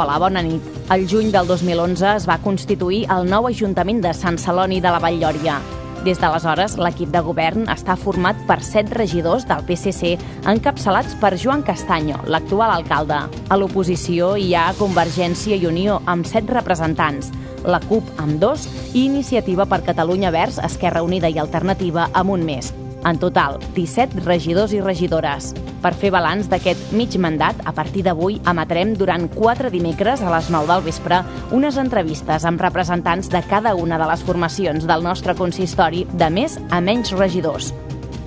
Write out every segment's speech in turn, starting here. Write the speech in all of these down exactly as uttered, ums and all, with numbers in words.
Hola, bona nit. El juny del dos mil onze es va constituir el nou Ajuntament de Sant Celoni de la Vall-lloria. Des d'aleshores, l'equip de govern està format per set regidors del P S C encapçalats per Joan Castaño, l'actual alcalde. A l'oposició hi ha Convergència i Unió amb set representants, la CUP amb dos i Iniciativa per Catalunya Verds, Esquerra Unida i Alternativa amb un més. En total, disset regidors i regidores. Per fer balanç d'aquest mig mandat, a partir d'avui emetrem durant quatre dimecres a les nou del vespre unes entrevistes amb representants de cada una de les formacions del nostre consistori de més a menys regidors.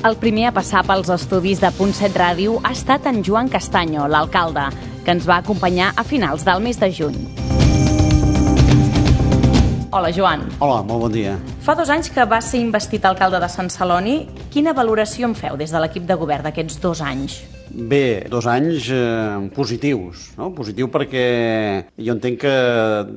El primer a passar pels estudis de Punt set Ràdio ha estat en Joan Castaño, l'alcalde, que ens va acompanyar a finals del mes de juny. Hola, Joan. Hola, molt bon dia. Fa dos anys que va ser investit alcalde de Sant Celoni. Quina valoració en feu des de l'equip de govern d'aquests dos anys? Bé, dos anys eh, positius, no? Positiu perquè jo entenc que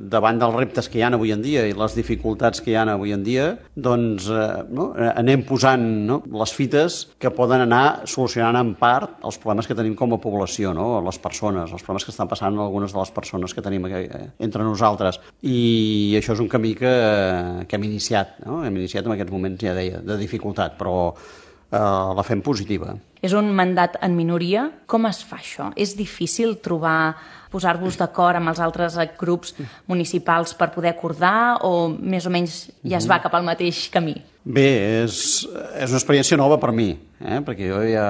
davant dels reptes que hi ha avui en dia i les dificultats que hi ha avui en dia, doncs eh, no? anem posant no? les fites que poden anar solucionant en part els problemes que tenim com a població, no? Les persones, els problemes que estan passant algunes de les persones que tenim aquí, eh, entre nosaltres. I això és un camí que, que hem iniciat, no? Hem iniciat en aquests moments, ja deia, de dificultat, però eh, la fem positiva. És un mandat en minoria. Com es fa això? És difícil trobar, posar-vos d'acord amb els altres grups municipals per poder acordar o més o menys ja es va cap al mateix camí? Bé, és, és una experiència nova per mi, eh? Perquè jo ja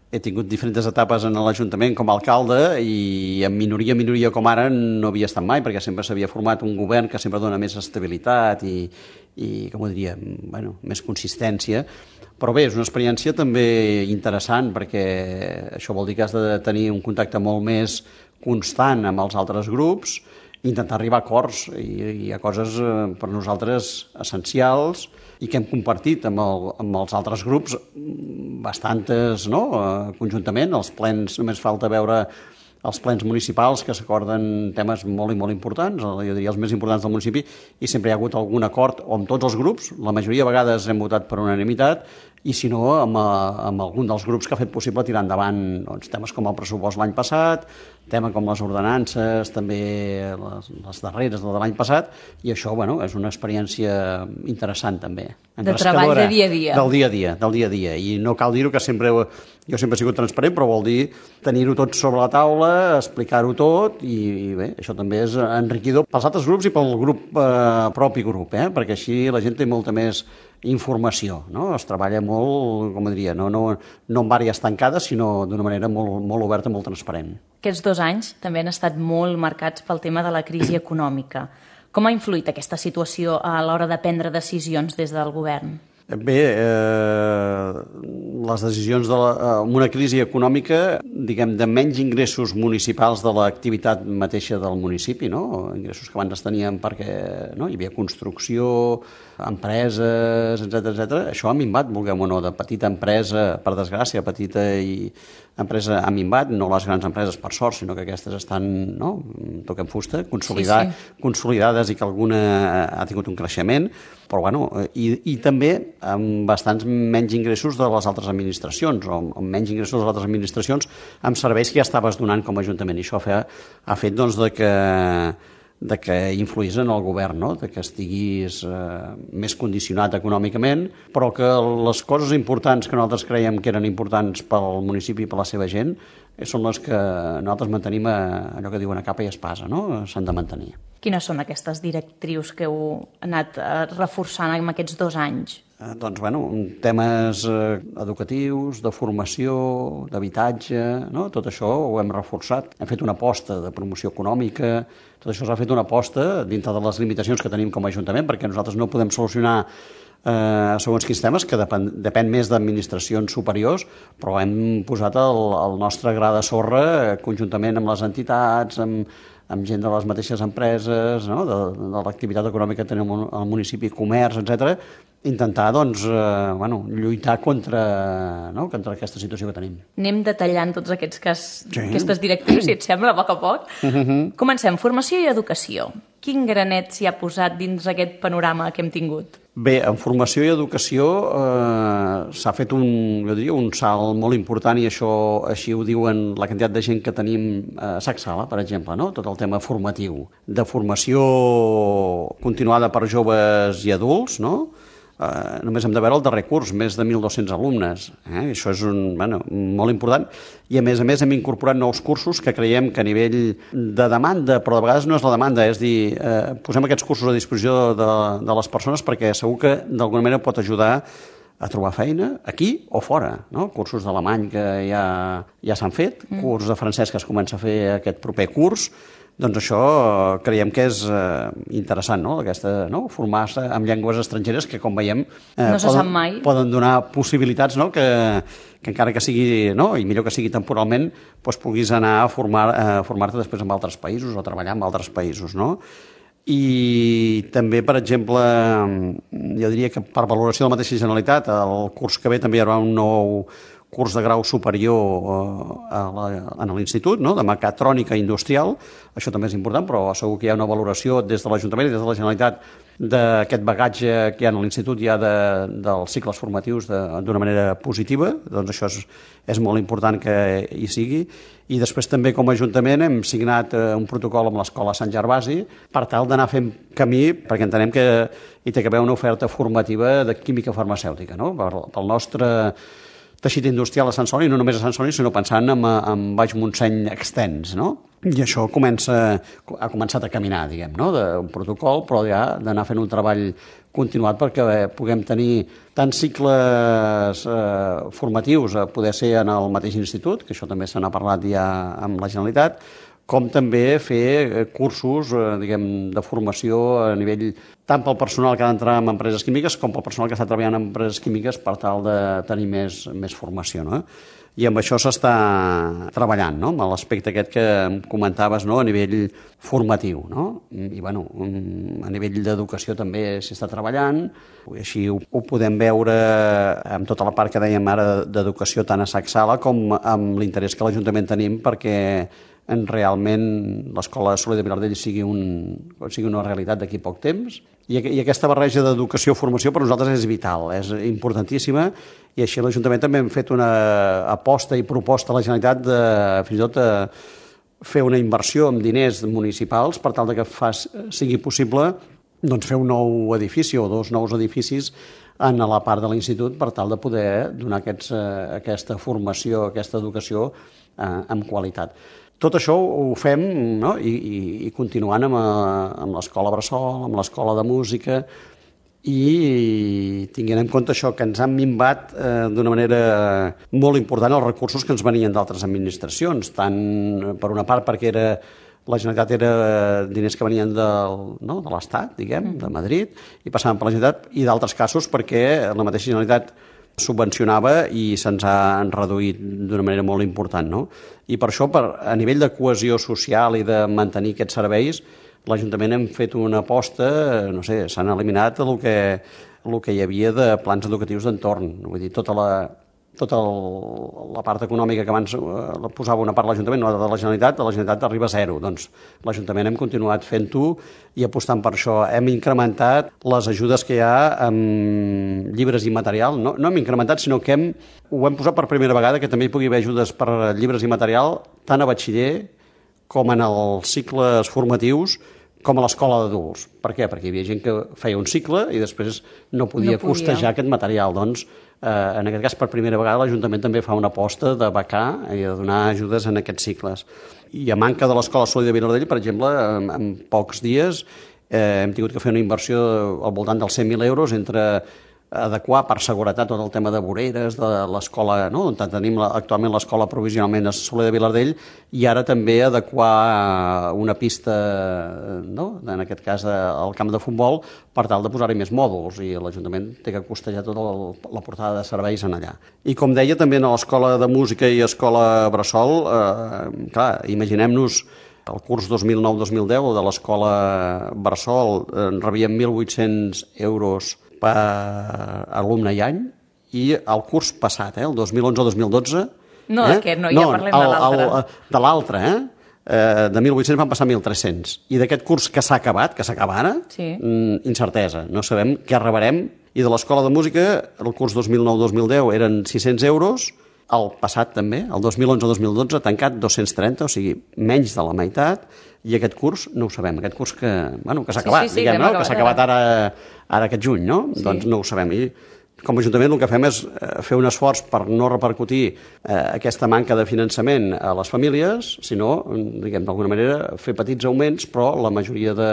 he tingut diferents etapes en l'Ajuntament com a alcalde i en minoria, minoria com ara no havia estat mai, perquè sempre s'havia format un govern que sempre dona més estabilitat i, i com ho diria, bueno, més consistència. Però bé, és una experiència també interessant perquè això vol dir que has de tenir un contacte molt més constant amb els altres grups, intentar arribar a acords, i hi ha coses per nosaltres essencials i que hem compartit amb, el, amb els altres grups bastantes, no? Conjuntament, els plens, només falta veure els plens municipals que s'acorden temes molt i molt importants, jo diria els més importants del municipi, i sempre hi ha hagut algun acord o amb tots els grups, la majoria de vegades hem votat per unanimitat, i si no, amb, amb algun dels grups que ha fet possible tirar endavant doncs, temes com el pressupost l'any passat, temes com les ordenances, també les, les darreres de l'any passat, i això bueno, és una experiència interessant també. De treball de dia a dia. Del dia a dia, del dia a dia. I no cal dir-ho que sempre, jo sempre he sigut transparent, però vol dir tenir-ho tot sobre la taula, explicar-ho tot, i, i bé, això també és enriquidor pels altres grups i pel grup eh, propi grup, eh? Perquè així la gent té molta més informació, no? Es treballa molt, com diria, no, no, no en àrees tancades, sinó d'una manera molt, molt oberta, molt transparent. Aquests dos anys també han estat molt marcats pel tema de la crisi econòmica. Com ha influït aquesta situació a l'hora de prendre decisions des del govern? Bé, eh, les decisions de la, en una crisi econòmica, diguem, de menys ingressos municipals de l'activitat mateixa del municipi, no? Ingressos que abans teníem perquè no? Hi havia construcció, empreses, etcètera, etcètera. Això ha minvat, vulguem o no, de petita empresa, per desgràcia, petita i empresa ha minvat, no les grans empreses per sort, sinó que aquestes estan, no? Toquem fusta, consolidar, sí, sí. consolidades i que alguna ha tingut un creixement, però bueno, i, i també amb bastants menys ingressos de les altres administracions, o amb menys ingressos de les altres administracions amb serveis que ja estaves donant com a Ajuntament. I això ha fet, ha fet doncs, de que de que influís en el govern, no? De que estiguis eh, més condicionat econòmicament, però que les coses importants que nosaltres creiem que eren importants pel municipi i per la seva gent són les que nosaltres mantenim a allò que diuen a capa i espasa, no? S'han de mantenir. Quines són aquestes directrius que heu anat reforçant en aquests dos anys? Eh, doncs, bueno, temes eh, educatius, de formació, d'habitatge, no? Tot això ho hem reforçat. Hem fet una aposta de promoció econòmica, tot això s'ha fet una aposta dintre de les limitacions que tenim com a Ajuntament, perquè nosaltres no podem solucionar eh, segons quins temes, que depèn, depèn més d'administracions superiors, però hem posat el, el nostre gra de sorra eh, conjuntament amb les entitats, amb, amb gent de les mateixes empreses, no? de, de l'activitat econòmica que tenim al municipi, comerç, etcètera, intentar doncs, eh, bueno, lluitar contra, no? contra aquesta situació que tenim. Anem detallant tots aquests cas, sí. aquestes directrius, si et sembla, a poc a poc. Uh-huh. Comencem. Formació i educació. Quin granet s'hi ha posat dins aquest panorama que hem tingut? Bé, en formació i educació eh, s'ha fet un, jo diria, un salt molt important i això així ho diuen la quantitat de gent que tenim a Sacsala, per exemple, no? Tot el tema formatiu. De formació continuada per joves i adults, no? Uh, només hem de veure el darrer curs, més de mil dos-cents alumnes. Eh? Això és un, bueno, molt important. I, a més a més, hem incorporat nous cursos que creiem que a nivell de demanda, però de vegades no és la demanda, és dir, eh, posem aquests cursos a disposició de, de les persones perquè segur que d'alguna manera pot ajudar a trobar feina aquí o fora. No? Cursos d'alemany que ja, ja s'han fet, mm. curs de francès que es comença a fer aquest proper curs. Doncs això creiem que és eh, interessant, no? Aquesta, no? Formar-se amb llengües estrangeres que, com veiem, eh, no poden, mai. poden donar possibilitats, no? que, que encara que sigui, no? I millor que sigui temporalment, doncs puguis anar a formar, a formar-te després en altres països o treballar en altres països, no? I també, per exemple, jo diria que per valoració de la mateixa Generalitat, el curs que ve també hi haurà un nou curs de grau superior a la, a l'institut, no? De mecatrònica industrial. Això també és important, però segur que hi ha una valoració des de l'Ajuntament i des de la Generalitat d'aquest bagatge que hi ha a l'institut ja de, dels cicles formatius d'una manera positiva. Doncs això és, és molt important que hi sigui. I després també com a Ajuntament hem signat un protocol amb l'Escola Sant Gervasi per tal d'anar fent camí, perquè entenem que hi té que haver una oferta formativa de química farmacèutica, no? Pel nostre teixit industrial a Sant Celoni, no només a Sant Celoni, sinó pensant en, en Baix Montseny extens, no? I això comença, ha començat a caminar, diguem, no? D'un protocol, però ja d'anar fent un treball continuat perquè puguem tenir tant cicles eh, formatius a poder ser en el mateix institut, que això també se n'ha parlat ja amb la Generalitat, com també fer cursos eh, diguem, de formació a nivell tant pel personal que ha d'entrar en empreses químiques com pel personal que està treballant en empreses químiques per tal de tenir més, més formació, no? I amb això s'està treballant, no? Amb l'aspecte aquest que comentaves, no? A nivell formatiu, no? I, bueno, a nivell d'educació també s'hi està treballant, i així ho, ho podem veure amb tota la part que dèiem ara d'educació tant a Sacsala com amb l'interès que l'Ajuntament tenim perquè en realment l'Escola Soler de Vilardell sigui, un, sigui una realitat d'aquí poc temps. I, I aquesta barreja d'educació i formació per nosaltres és vital, és importantíssima, i així l'Ajuntament també hem fet una aposta i proposta a la Generalitat de fins i tot a fer una inversió amb diners municipals per tal de que fas, sigui possible doncs, fer un nou edifici o dos nous edificis en la part de l'institut per tal de poder donar aquests, aquesta formació, aquesta educació eh, amb qualitat. Tot això ho fem, no? I, i, i continuant amb, amb l'Escola Bressol, amb l'Escola de Música, i tinguent en compte això, que ens han minvat eh, d'una manera molt important els recursos que ens venien d'altres administracions, tant per una part perquè era, la Generalitat era diners que venien del, no? de l'Estat, diguem, de Madrid, i passaven per la Generalitat, i d'altres casos perquè la mateixa Generalitat subvencionava i se'ns ha reduït d'una manera molt important, no? I per això, per, a nivell de cohesió social i de mantenir aquests serveis, l'Ajuntament hem fet una aposta, no sé, s'han eliminat el que, el que hi havia de plans educatius d'entorn. Vull dir, tota la, tota el, la part econòmica que abans eh, posava una part de l'Ajuntament, no de la Generalitat, de la Generalitat arriba a zero. Doncs l'Ajuntament hem continuat fent-ho i apostant per això. Hem incrementat les ajudes que hi ha amb llibres i material. No, no hem incrementat, sinó que hem, ho hem posat per primera vegada, que també hi pugui haver ajudes per llibres i material, tant a batxiller com en els cicles formatius, com a l'escola d'adults. Per què? Perquè hi havia gent que feia un cicle i després no podia, no podia. costejar aquest material. Doncs, eh, en aquest cas, per primera vegada, l'Ajuntament també fa una aposta de becar i de donar ajudes en aquests cicles. I a manca de l'Escola Soler de Vilardell, per exemple, en, en pocs dies eh, hem tingut que fer una inversió al voltant dels cent mil euros entre adequar per seguretat tot el tema de voreres de l'escola, no? On tenim actualment l'escola provisionalment a Soler de Vilardell, i ara també adequar una pista, no? En aquest cas al camp de futbol, per tal de posar-hi més mòduls, i l'Ajuntament té que costejar tota la portada de serveis en allà. I com deia, també a l'Escola de Música i Escola Bressol, eh, clar, imaginem-nos el curs dos mil nou dos mil deu de l'Escola Bressol, eh, rebíem mil vuit-cents euros per alumne i any, i el curs passat, eh, el dos mil onze dos mil dotze... No, eh? aquest no, ja no, parlem el, de l'altre. El, de l'altre, eh? eh, de mil vuit-cents van passar a mil tres-cents. I d'aquest curs que s'ha acabat, que s'acaba ara, sí. incertesa. No sabem què rebrem. I de l'Escola de Música, el curs dos mil nou dos mil deu eren sis-cents euros, el passat també, el dos mil onze dos mil dotze, tancat dos-cents trenta, o sigui, menys de la meitat, i aquest curs no ho sabem, aquest curs que, bueno, que s'ha sí, acabat, sí, sí, diguem, no? acabat, que s'ha acabat ara, ara aquest juny, no? Sí. Doncs no ho sabem. I com a Ajuntament el que fem és fer un esforç per no repercutir eh, aquesta manca de finançament a les famílies, sinó, diguem, d'alguna manera, fer petits augments, però la majoria de,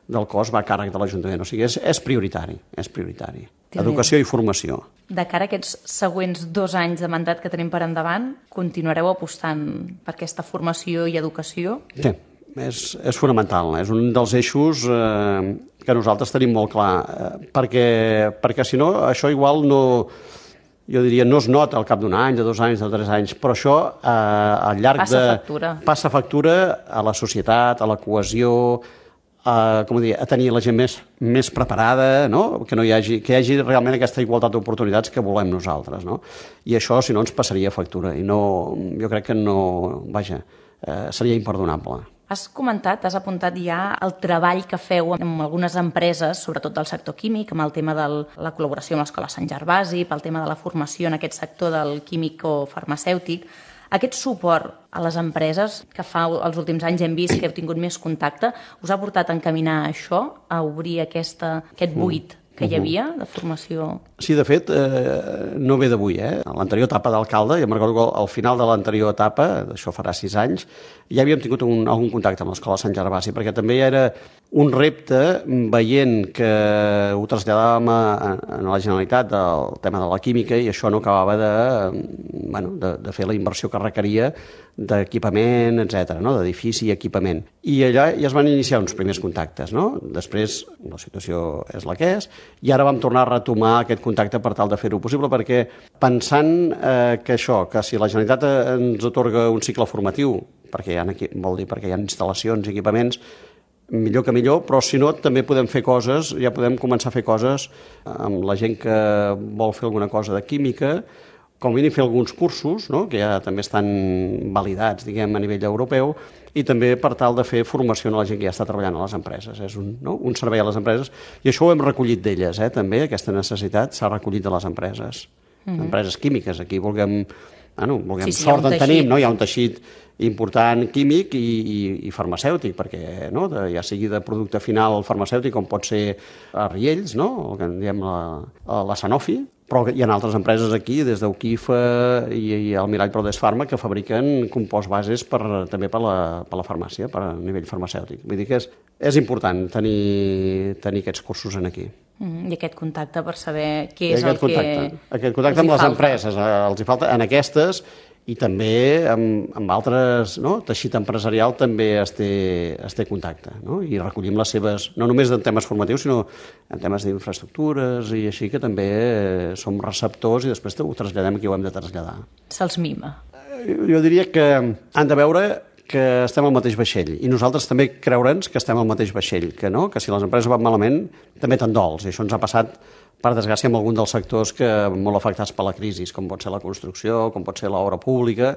del cost va a càrrec de l'Ajuntament. O sigui, és, és prioritari, és prioritari. Educació i formació. De cara a aquests següents dos anys de mandat que tenim per endavant, continuareu apostant per aquesta formació i educació? Sí, és, és fonamental. És un dels eixos eh, que nosaltres tenim molt clar, eh, perquè, perquè si no, això igual no, jo diria, no es nota al cap d'un any, de dos anys, de tres anys, però això eh, al llarg passa de... factura. Passa factura a la societat, a la cohesió, a, com dir, a tenir la gent més, més preparada, no? que, no hi hagi, que hi hagi realment aquesta igualtat d'oportunitats que volem nosaltres. No? I això, si no, ens passaria factura. I no, jo crec que no... Vaja, eh, seria imperdonable. Has comentat, has apuntat ja el treball que feu amb algunes empreses, sobretot del sector químic, amb el tema de la col·laboració amb l'Escola Sant Gervasi, pel tema de la formació en aquest sector del químic o farmacèutic. Aquest suport a les empreses que fa els últims anys hem vist que heu tingut més contacte, us ha portat a encaminar això, a obrir aquesta, aquest buit que hi havia de formació? Sí, de fet, eh, no ve d'avui. Eh? A l'anterior etapa d'alcalde, jo me'n recordo que al final de l'anterior etapa, això farà sis anys, ja havíem tingut un, algun contacte amb l'Escola Sant Gervasi, perquè també era un repte, veient que ho traslladàvem a, a la Generalitat del tema de la química i això no acabava de, bueno, de, de fer la inversió que requeria d'equipament, etcètera, no? D'edifici i equipament. I allà ja es van iniciar uns primers contactes. No? Després la situació és la que és, i ara vam tornar a retomar aquest contacte per tal de fer-ho possible, perquè pensant eh, que això, que si la Generalitat ens atorga un cicle formatiu, perquè hi ha, vol dir perquè hi ha instal·lacions i equipaments, millor que millor, però si no també podem fer coses, ja podem començar a fer coses amb la gent que vol fer alguna cosa de química, com a mínim fer alguns cursos, no? que ja també estan validats, diguem, a nivell europeu, i també per tal de fer formació a la gent que ja està treballant a les empreses. És un, no? un servei a les empreses, i això ho hem recollit d'elles, eh? també, aquesta necessitat s'ha recollit de les empreses, mm-hmm. empreses químiques. Aquí vulguem, bueno, vulguem sí, sí, sort en tenim, no? Hi ha un teixit important químic i, i, i farmacèutic, perquè no? de, ja sigui de producte final farmacèutic, com pot ser a Riells, no? el que en diem la, la Sanofi, però hi ha altres empreses aquí, des d'Uquifa i, i el Mirall Prodes Pharma, que fabriquen compost bases per, també per la, per la farmàcia, per a nivell farmacèutic. Vull dir que és, és important tenir, tenir aquests cursos en aquí. Mm, I aquest contacte per saber què és el contacte. que Aquest contacte amb les falta. empreses, els hi falta en aquestes, i també amb, amb altres, no? teixit empresarial també es té, es té contacte, no? i recollim les seves, no només en temes formatius, sinó en temes d'infraestructures i així, que també som receptors i després ho traslladem a qui ho hem de traslladar. Se'ls mima. Jo diria que han de veure que estem al mateix vaixell, i nosaltres també creure'ns que estem al mateix vaixell, que no, que si les empreses van malament també te'n dols, i això ens ha passat per desgràcia amb algun dels sectors que molt afectats per la crisi, com pot ser la construcció, com pot ser l'obra pública,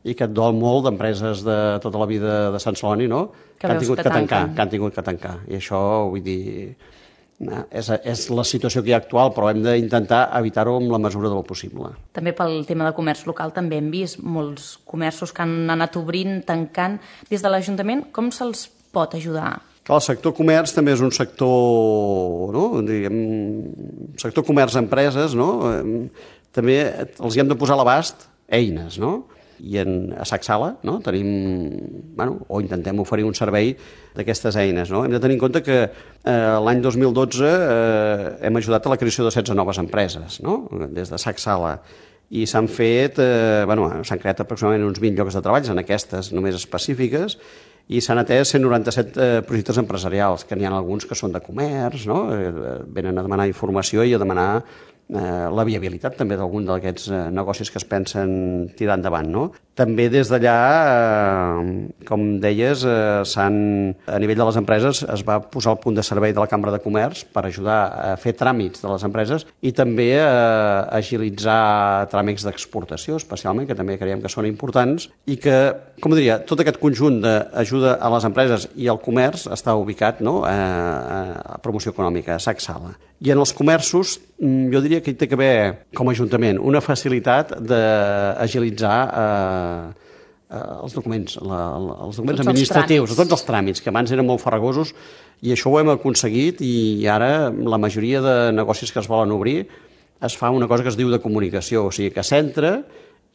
i que et dol molt d'empreses de tota la vida de Sant Celoni, no? que, que han tingut que, que tancar, que han tingut que tancar. I això, vull dir, és, és la situació que hi ha actual, però hem d'intentar evitar-ho amb la mesura del possible. També pel tema de comerç local també hem vist molts comerços que han anat obrint, tancant. Des de l'Ajuntament, com se'ls pot ajudar? El sector comerç també és un sector, no? Diguem, sector comerç-empreses, no? També els hi hem de posar a l'abast eines, no? I en, a Sacsala, no? Tenim, bueno, o intentem oferir un servei d'aquestes eines, no? Hem de tenir en compte que eh, l'any dos mil dotze eh, hem ajudat a la creació de setze noves empreses, no? Des de Sacsala. I s'han fet, eh, bueno, s'han creat aproximadament uns vint llocs de treball en aquestes només específiques, i s'han atès cent noranta-set eh, projectes empresarials, que n'hi ha alguns que són de comerç, no? Eh, venen a demanar informació i a demanar eh, la viabilitat també d'algun d'aquests eh, negocis que es pensen tirar endavant, no? També des d'allà, eh, com deies, eh, s'han, a nivell de les empreses es va posar al punt de servei de la Cambra de Comerç per ajudar a fer tràmits de les empreses i també a agilitzar tràmits d'exportació, especialment, que també creiem que són importants i que, com diria, tot aquest conjunt d'ajuda a les empreses i al comerç està ubicat, no?, a, a promoció econòmica, a SAC Sala. I en els comerços, jo diria que hi té que haver, com a Ajuntament, una facilitat d'agilitzar eh, eh, els documents, la, la, els documents tots administratius, els tots els tràmits, que abans eren molt farragosos, i això ho hem aconseguit, i ara la majoria de negocis que es volen obrir es fa una cosa que es diu de comunicació, o sigui que s'entra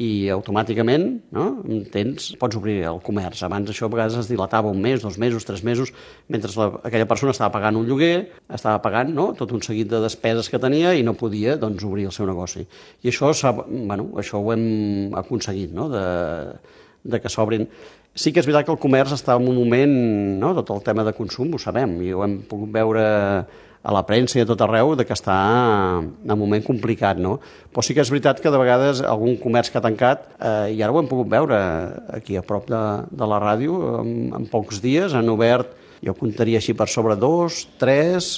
i automàticament, no?, tens, pots obrir el comerç. Abans això a vegades es dilatava un mes, dos mesos, tres mesos, mentre la, aquella persona estava pagant un lloguer, estava pagant, no?, tot un seguit de despeses que tenia i no podia, doncs, obrir el seu negoci. I això, bueno, això ho hem aconseguit, no?, de, de que s'obrin. Sí que és veritat que el comerç està en un moment, no?, tot el tema de consum, ho sabem, i ho hem pogut veure a la premsa i a tot arreu, de que està en un moment complicat, no? Però sí que és veritat que de vegades algun comerç que ha tancat, eh, i ara ho hem pogut veure aquí a prop de, de la ràdio, en, en pocs dies han obert, jo comptaria així per sobre dos, tres,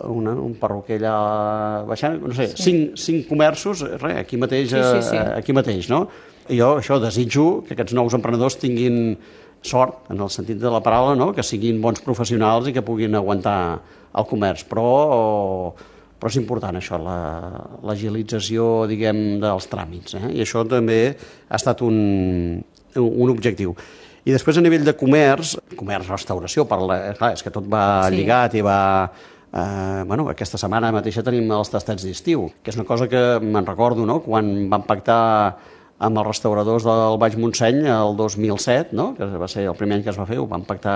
una, un perruquer allà baixant, no sé, sí. cinc, cinc comerços, res, aquí mateix, sí, sí, sí. aquí mateix, no? I jo això desitjo que aquests nous emprenedors tinguin sort, en el sentit de la paraula, no?, que siguin bons professionals i que puguin aguantar el comerç, però, però és important això, l'agilització, la, diguem, dels tràmits, eh? I això també ha estat un, un objectiu. I després a nivell de comerç, comerç-restauració, clar, és que tot va sí. lligat i va... Eh, bueno, aquesta setmana mateixa tenim els tastets d'estiu, que és una cosa que me'n recordo, no?, quan vam pactar amb els restauradors del Baix Montseny el dos mil set, no?, que va ser el primer any que es va fer, ho vam pactar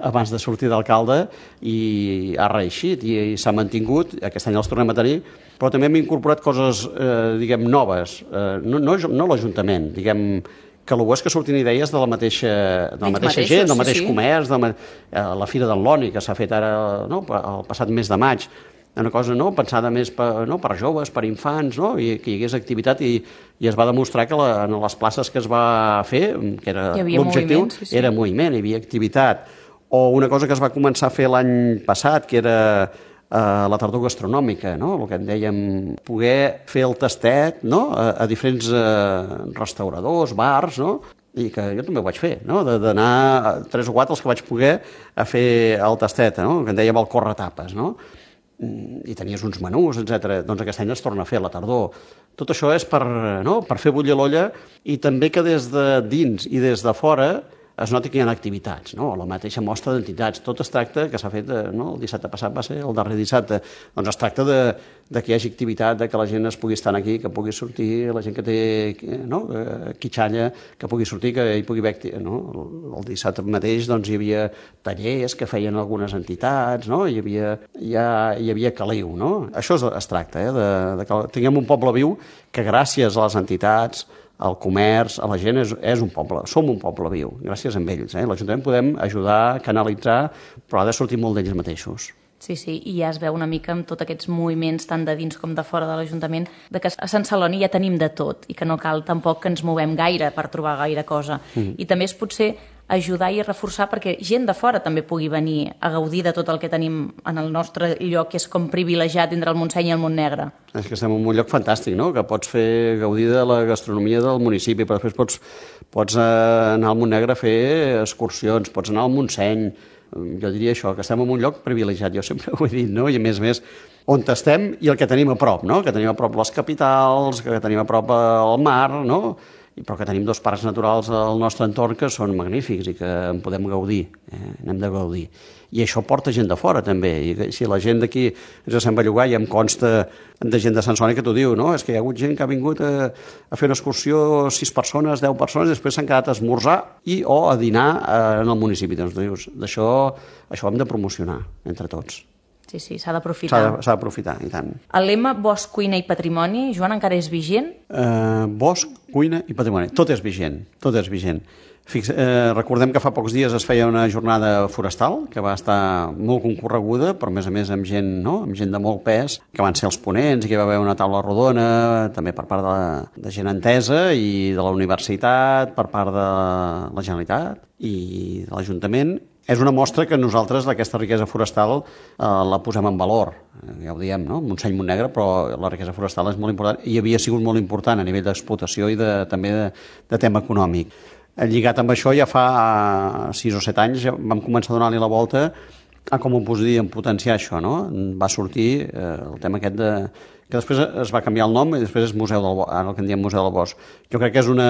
abans de sortir d'alcalde i ha reeixit i, i s'ha mantingut, aquest any els tornem a tenir, però també hem incorporat coses, eh, diguem, noves, eh, no, no, no l'Ajuntament, diguem, que el bo és que surtin idees de la mateixa, de la mateixa mateixos, gent, del mateix sí, comerç, de la, la Fira del Loni, que s'ha fet ara, no?, el passat mes de maig, una cosa, no?, pensada més per, no?, per joves, per infants, no?, i que hi hagués activitat, i, i es va demostrar que la, en les places que es va fer, que era l'objectiu, sí, sí. era moviment, hi havia activitat. O una cosa que es va començar a fer l'any passat, que era eh, la tardor gastronòmica, no?, el que en dèiem, poder fer el tastet, no?, a, a diferents eh, restauradors, bars, no?, i que jo també ho vaig fer, no?, d'anar tres o quatre els que vaig poder a fer el tastet, no?, que en dèiem el corretapes, no?, i tenies uns menús, etcètera. Doncs aquest any es torna a fer a la tardor. Tot això és per, no?, per fer bullir l'olla, i també que des de dins i des de fora es noti que hi ha activitats, no?, la mateixa mostra d'entitats. Tot es tracta, que s'ha fet, no?, el dissabte passat va ser el darrer dissabte, doncs es tracta de, de que hi hagi activitat, de que la gent es pugui estar aquí, que pugui sortir, la gent que té, no?, quitxalla, que pugui sortir, que hi pugui haver, no?, el dissabte mateix doncs hi havia tallers que feien algunes entitats, no?, hi havia, ja, hi havia caliu, no? Això es, es tracta, eh?, de, de que tinguem un poble viu que gràcies a les entitats, al comerç, a la gent, és, és un poble, som un poble viu, gràcies a ells. Eh? L'Ajuntament podem ajudar, canalitzar, però ha de sortir molt d'ells mateixos. Sí, sí, i ja es veu una mica amb tots aquests moviments, tant de dins com de fora de l'Ajuntament, de que a Sant Celoni ja tenim de tot i que no cal tampoc que ens movem gaire per trobar gaire cosa. Mm. I també és potser ajudar i reforçar perquè gent de fora també pugui venir a gaudir de tot el que tenim en el nostre lloc, que és com privilegiat entre el Montseny i el Montnegre. És que estem en un lloc fantàstic, no?, que pots fer gaudir de la gastronomia del municipi, però després pots, pots anar al Montnegre a fer excursions, pots anar al Montseny. Jo diria això, que estem en un lloc privilegiat, jo sempre ho he dit, no?, i a més a més on estem i el que tenim a prop, no?, que tenim a prop les capitals, que tenim a prop el mar, no?, però que tenim dos parcs naturals al nostre entorn que són magnífics i que en podem gaudir, eh? n'hem de gaudir. I això porta gent de fora, també. I si la gent d'aquí ens sent bellugar, i em consta de gent de Sant Celoni que t'ho diu, no? És que hi ha hagut gent que ha vingut a, a fer una excursió, sis persones, deu persones, i després s'han quedat a esmorzar i o a dinar en el municipi. Doncs dius, d'això això ho hem de promocionar entre tots. Sí, sí, s'ha d'aprofitar. S'ha d'aprofitar, i tant. El lema Bosc, Cuina i Patrimoni, Joan, encara és vigent? Uh, bosc, cuina i patrimoni. Tot és vigent, tot és vigent. Fix, eh, recordem que fa pocs dies es feia una jornada forestal que va estar molt concorreguda, però a més a més amb gent, no? amb gent de molt pes, que van ser els ponents i que hi va haver una taula rodona, també per part de, de gent entesa i de la universitat, per part de la Generalitat i de l'Ajuntament. És una mostra que nosaltres d'aquesta riquesa forestal eh, la posem en valor. Eh, ja ho diem, no? Montseny, Montnegre, però la riquesa forestal és molt important i havia sigut molt important a nivell d'explotació i de, també de, de tema econòmic. Lligat amb això, ja fa sis o set anys ja vam començar a donar-li la volta a com ho podíem potenciar això, no? Va sortir eh, el tema aquest de... que després es va canviar el nom i després és Museu del Bosc, ara el que en diem Museu del Bosc. Jo crec que és, una,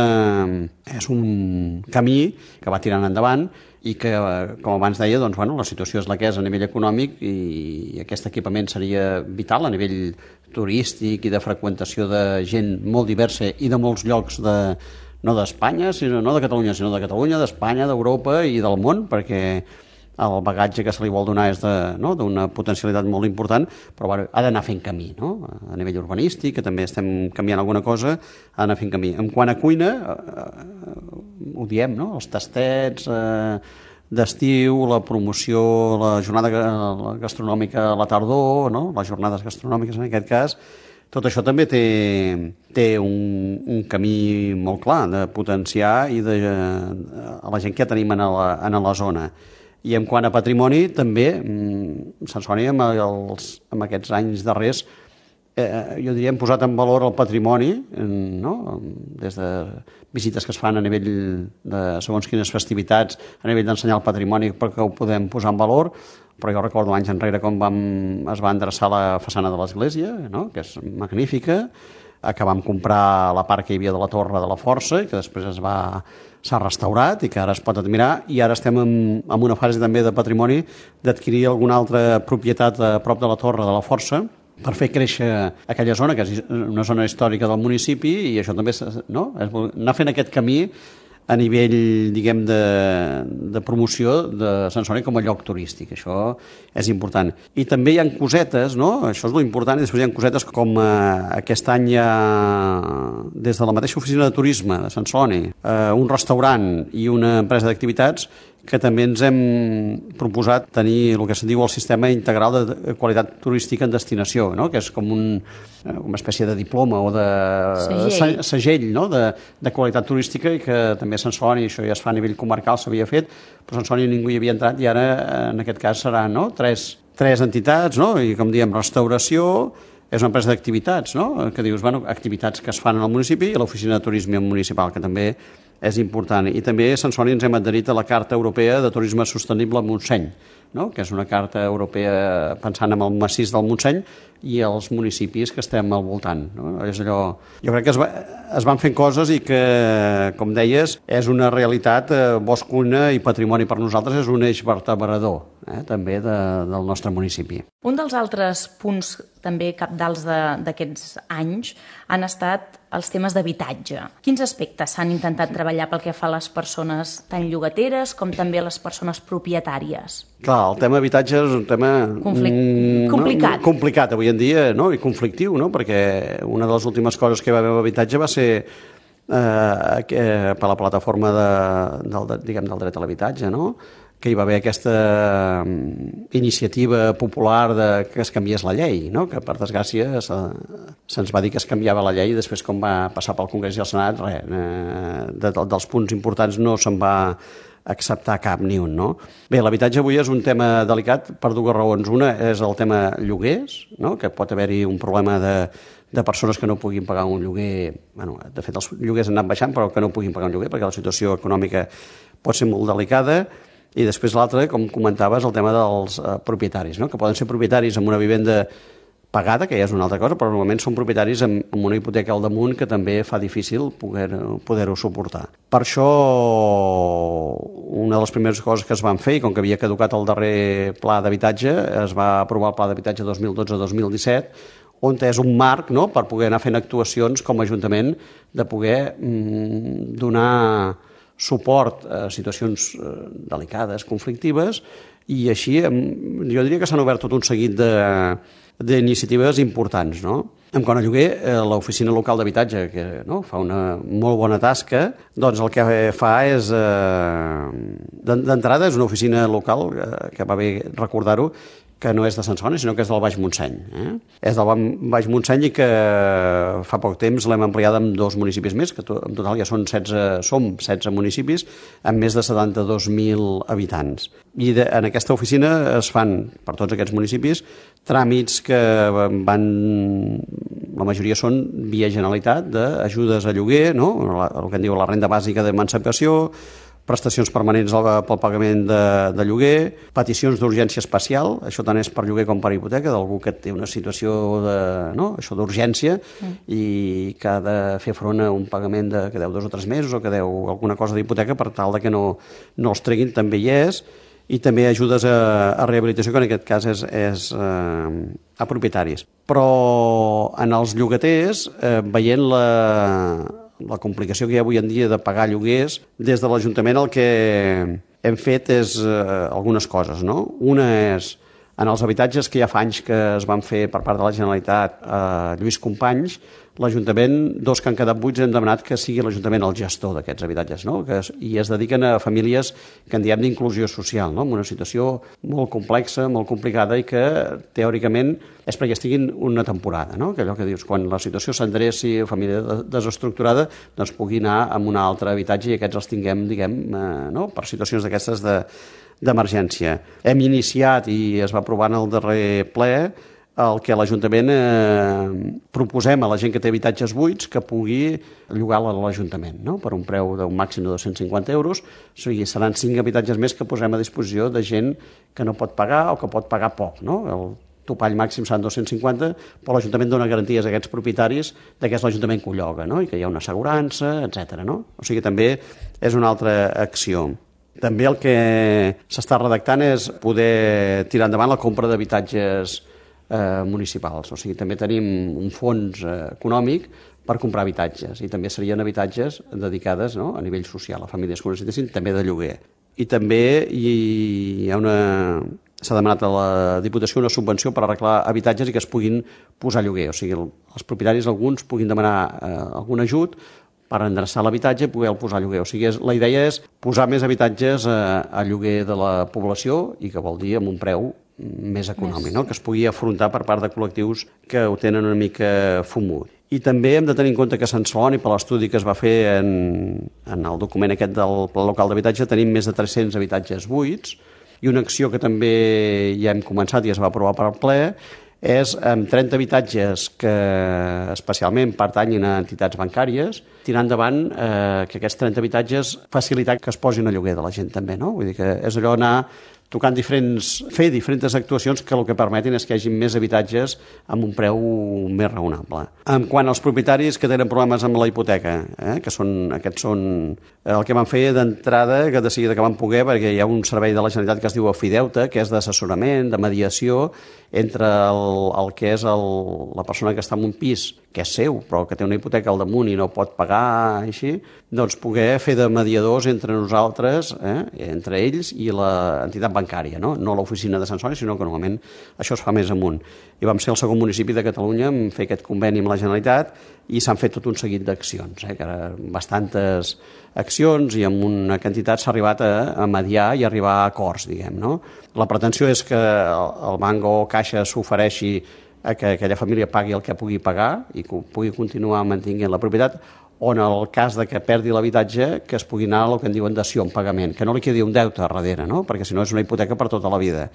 és un camí que va tirant endavant i que, com abans deia, doncs, bueno, la situació és la que és a nivell econòmic i aquest equipament seria vital a nivell turístic i de freqüentació de gent molt diversa i de molts llocs de no d'Espanya, sinó no de Catalunya, sinó de Catalunya, d'Espanya, d'Europa i del món, perquè el bagatge que se li vol donar és d'una no? potencialitat molt important, però bueno, ha d'anar fent camí, no? A nivell urbanístic, que també estem canviant alguna cosa, ha d'anar fent camí. En quant a cuina, eh, ho diem, no? Els tastets eh, d'estiu, la promoció, la jornada gastronòmica a la tardor, no? Les jornades gastronòmiques en aquest cas, tot això també té, té un, un camí molt clar de potenciar i de, a la gent que ja tenim en la, en la zona. I en quant a patrimoni, també, Sant Celoni, amb, els, amb aquests anys darrers, eh, jo diria, hem posat en valor el patrimoni, no? Des de visites que es fan a nivell de segons quines festivitats, a nivell d'ensenyar el patrimoni perquè ho podem posar en valor, però jo recordo anys enrere com vam, es va endreçar la façana de l'església, no? Que és magnífica, que vam comprar la part que hi havia de la Torre de la Força i que després es va s'ha restaurat i que ara es pot admirar, i ara estem en, en una fase també de patrimoni d'adquirir alguna altra propietat a prop de la Torre de la Força per fer créixer aquella zona, que és una zona històrica del municipi, i això també no? És anar fent aquest camí a nivell, diguem, de, de promoció de Sant Celoni com a lloc turístic. Això és important. I també hi ha cosetes, no? Això és l'important, i després hi ha cosetes com eh, aquest any hi ha, des de la mateixa oficina de turisme de Sant Celoni, eh, un restaurant i una empresa d'activitats que també ens hem proposat tenir el que se'n diu el sistema integral de qualitat turística en destinació, no? Que és com un, una espècie de diploma o de segell, segell no? de, de qualitat turística, i que també a Sant Celoni, això ja es fa a nivell comarcal, s'havia fet, però a Sant Celoni ningú hi havia entrat, i ara en aquest cas seran no? tres, tres entitats, no? I com diem, restauració, és una empresa d'activitats, no? Que dius, bueno, activitats que es fan al municipi, i l'oficina de turisme municipal, que també és important. I també a Sant Celoni ens hem adherit a la Carta Europea de Turisme Sostenible a Montseny, no? Que és una carta europea pensant en el massís del Montseny i els municipis que estem al voltant, no? És allò... Jo crec que es, va, es van fent coses i que, com deies, és una realitat, eh, bosc, cuina i patrimoni per nosaltres és un eix vertebrador, eh, també de, del nostre municipi. Un dels altres punts també cabdals d'aquests anys han estat els temes d'habitatge. Quins aspectes s'han intentat treballar pel que fa a les persones tant llogateres com també a les persones propietàries? Clar, el tema habitatge és un tema Conflic... mm, complicat. No? complicat avui en dia, no? I conflictiu, no? Perquè una de les últimes coses que va haver amb habitatge va ser eh, que, per la plataforma de, del, diguem, del dret a l'habitatge, no? Que hi va haver aquesta iniciativa popular de que es canviés la llei, no? Que per desgràcia se, se'ns va dir que es canviava la llei i després com va passar pel Congrés i el Senat, res, eh, de, de, dels punts importants no se'n va acceptar cap ni un, no? Bé, l'habitatge avui és un tema delicat per dues raons. Una és el tema lloguers, no? Que pot haver-hi un problema de, de persones que no puguin pagar un lloguer. Bueno, de fet, els lloguers han anat baixant, però que no puguin pagar un lloguer perquè la situació econòmica pot ser molt delicada. I després l'altre, com comentaves, el tema dels eh, propietaris, no? Que poden ser propietaris amb una vivenda pagada, que ja és una altra cosa, però normalment són propietaris amb, amb una hipoteca al damunt que també fa difícil poder-ho poder suportar. Per això, una de les primeres coses que es van fer, i com que havia caducat el darrer pla d'habitatge, es va aprovar el pla d'habitatge dos mil dotze dos mil disset, on és un marc, no?, per poder anar fent actuacions com a Ajuntament de poder mm, donar suport a situacions eh, delicades, conflictives, i així jo diria que s'han obert tot un seguit de d'iniciatives importants, no? En quant a lloguer, l'oficina local d'habitatge, que no, fa una molt bona tasca, doncs el que fa és, eh, d'entrada, és una oficina local, eh, que va bé recordar-ho, que no és de Sant Celoni, sinó que és del Baix Montseny. Eh? És del Baix Montseny i que fa poc temps l'hem ampliada amb dos municipis més, que en total ja són setze, som setze municipis, amb més de setanta-dos mil habitants. I de, en aquesta oficina es fan, per tots aquests municipis, tràmits que van... La majoria són via Generalitat, d'ajudes a lloguer, no? El que en diu la renda bàsica d'emancipació, prestacions permanents pel pagament de, de lloguer, peticions d'urgència especial, això tant és per lloguer com per hipoteca, d'algú que té una situació de, no? Això d'urgència mm. i que ha de fer front a un pagament de, que deu dos o tres mesos o que deu alguna cosa d'hipoteca per tal de que no, no els treguin, també hi és, i també ajudes a, a rehabilitació, que en aquest cas és, és eh, a propietaris. Però en els llogaters, eh, veient la... la complicació que hi ha avui en dia de pagar lloguers, des de l'Ajuntament el que hem fet és eh, algunes coses, no? Una és, en els habitatges que ja fa anys que es van fer per part de la Generalitat a Lluís Companys, l'Ajuntament, dos que han quedat buits, hem demanat que sigui l'Ajuntament el gestor d'aquests habitatges, no? Que es, i es dediquen a famílies que en diem d'inclusió social, no? En una situació molt complexa, molt complicada i que teòricament és perquè estiguin una temporada, no? Que allò que dius, quan la situació s'endreci, família desestructurada, doncs pugui anar a un altre habitatge i aquests els tinguem, diguem, eh, no? Per situacions d'aquestes de, d'emergència. Hem iniciat i es va aprovar en el darrer ple el que l'Ajuntament eh, proposem a la gent que té habitatges buits que pugui llogar-la a l'Ajuntament, no? Per un preu d'un màxim de dos-cents cinquanta euros. O sigui, seran cinc habitatges més que posem a disposició de gent que no pot pagar o que pot pagar poc, no? El topall màxim seran dos-cents cinquanta, però l'Ajuntament dona garanties a aquests propietaris de que és l'Ajuntament que ho lloga, no? I que hi ha una assegurança, etcètera, no? O sigui, també és una altra acció. També el que s'està redactant és poder tirar endavant la compra d'habitatges eh, municipals. O sigui, també tenim un fons eh, econòmic per comprar habitatges i també serien habitatges dedicades, no? A nivell social a famílies que ho necessitessin, també de lloguer. I també hi ha una... s'ha demanat a la Diputació una subvenció per arreglar habitatges i que es puguin posar a lloguer. O sigui, els propietaris alguns puguin demanar eh, algun ajut per endreçar l'habitatge i poder-lo posar a lloguer. O sigui, és, la idea és posar més habitatges a, a lloguer de la població i que vol dir amb un preu més econòmic, més. No? Que es pugui afrontar per part de col·lectius que ho tenen una mica fumut. I també hem de tenir en compte que a Sant Celoni, per l'estudi que es va fer en, en el document aquest del Pla Local d'Habitatge, tenim més de tres-cents habitatges buits i una acció que també ja hem començat i es va aprovar per al ple és amb trenta habitatges que especialment pertanyin a entitats bancàries, tirar endavant eh, que aquests trenta habitatges facilitar que es posin a lloguer de la gent també, no? Vull dir que és allò anar tocant diferents, fer diferents actuacions que el que permetin és que hi hagi més habitatges amb un preu més raonable. En quant als propietaris que tenen problemes amb la hipoteca, eh, que són, aquests són el que van fer d'entrada, que de seguida que van poder, perquè hi ha un servei de la Generalitat que es diu Afideuta, que és d'assessorament, de mediació, entre el, el que és el, la persona que està en un pis, que és seu, però que té una hipoteca al damunt i no pot pagar, així, doncs poder fer de mediadors entre nosaltres, eh, entre ells i l'entitat bancària, no? No l'oficina de Sant Celoni, sinó que normalment això es fa més amunt. I vam ser el segon municipi de Catalunya en fer aquest conveni amb la Generalitat i s'han fet tot un seguit d'accions, eh, que eren bastantes accions i amb una quantitat s'ha arribat a, a mediar i arribar a acords, diguem, no? La pretensió és que el, el banc o caixa s'ofereixi a que aquella família pagui el que pugui pagar i que pugui continuar mantenint la propietat, o en el cas de que perdi l'habitatge que es pugui anar a el que en diuen dació en pagament, que no li quedi un deute a darrere, no? Perquè si no és una hipoteca per tota la vida.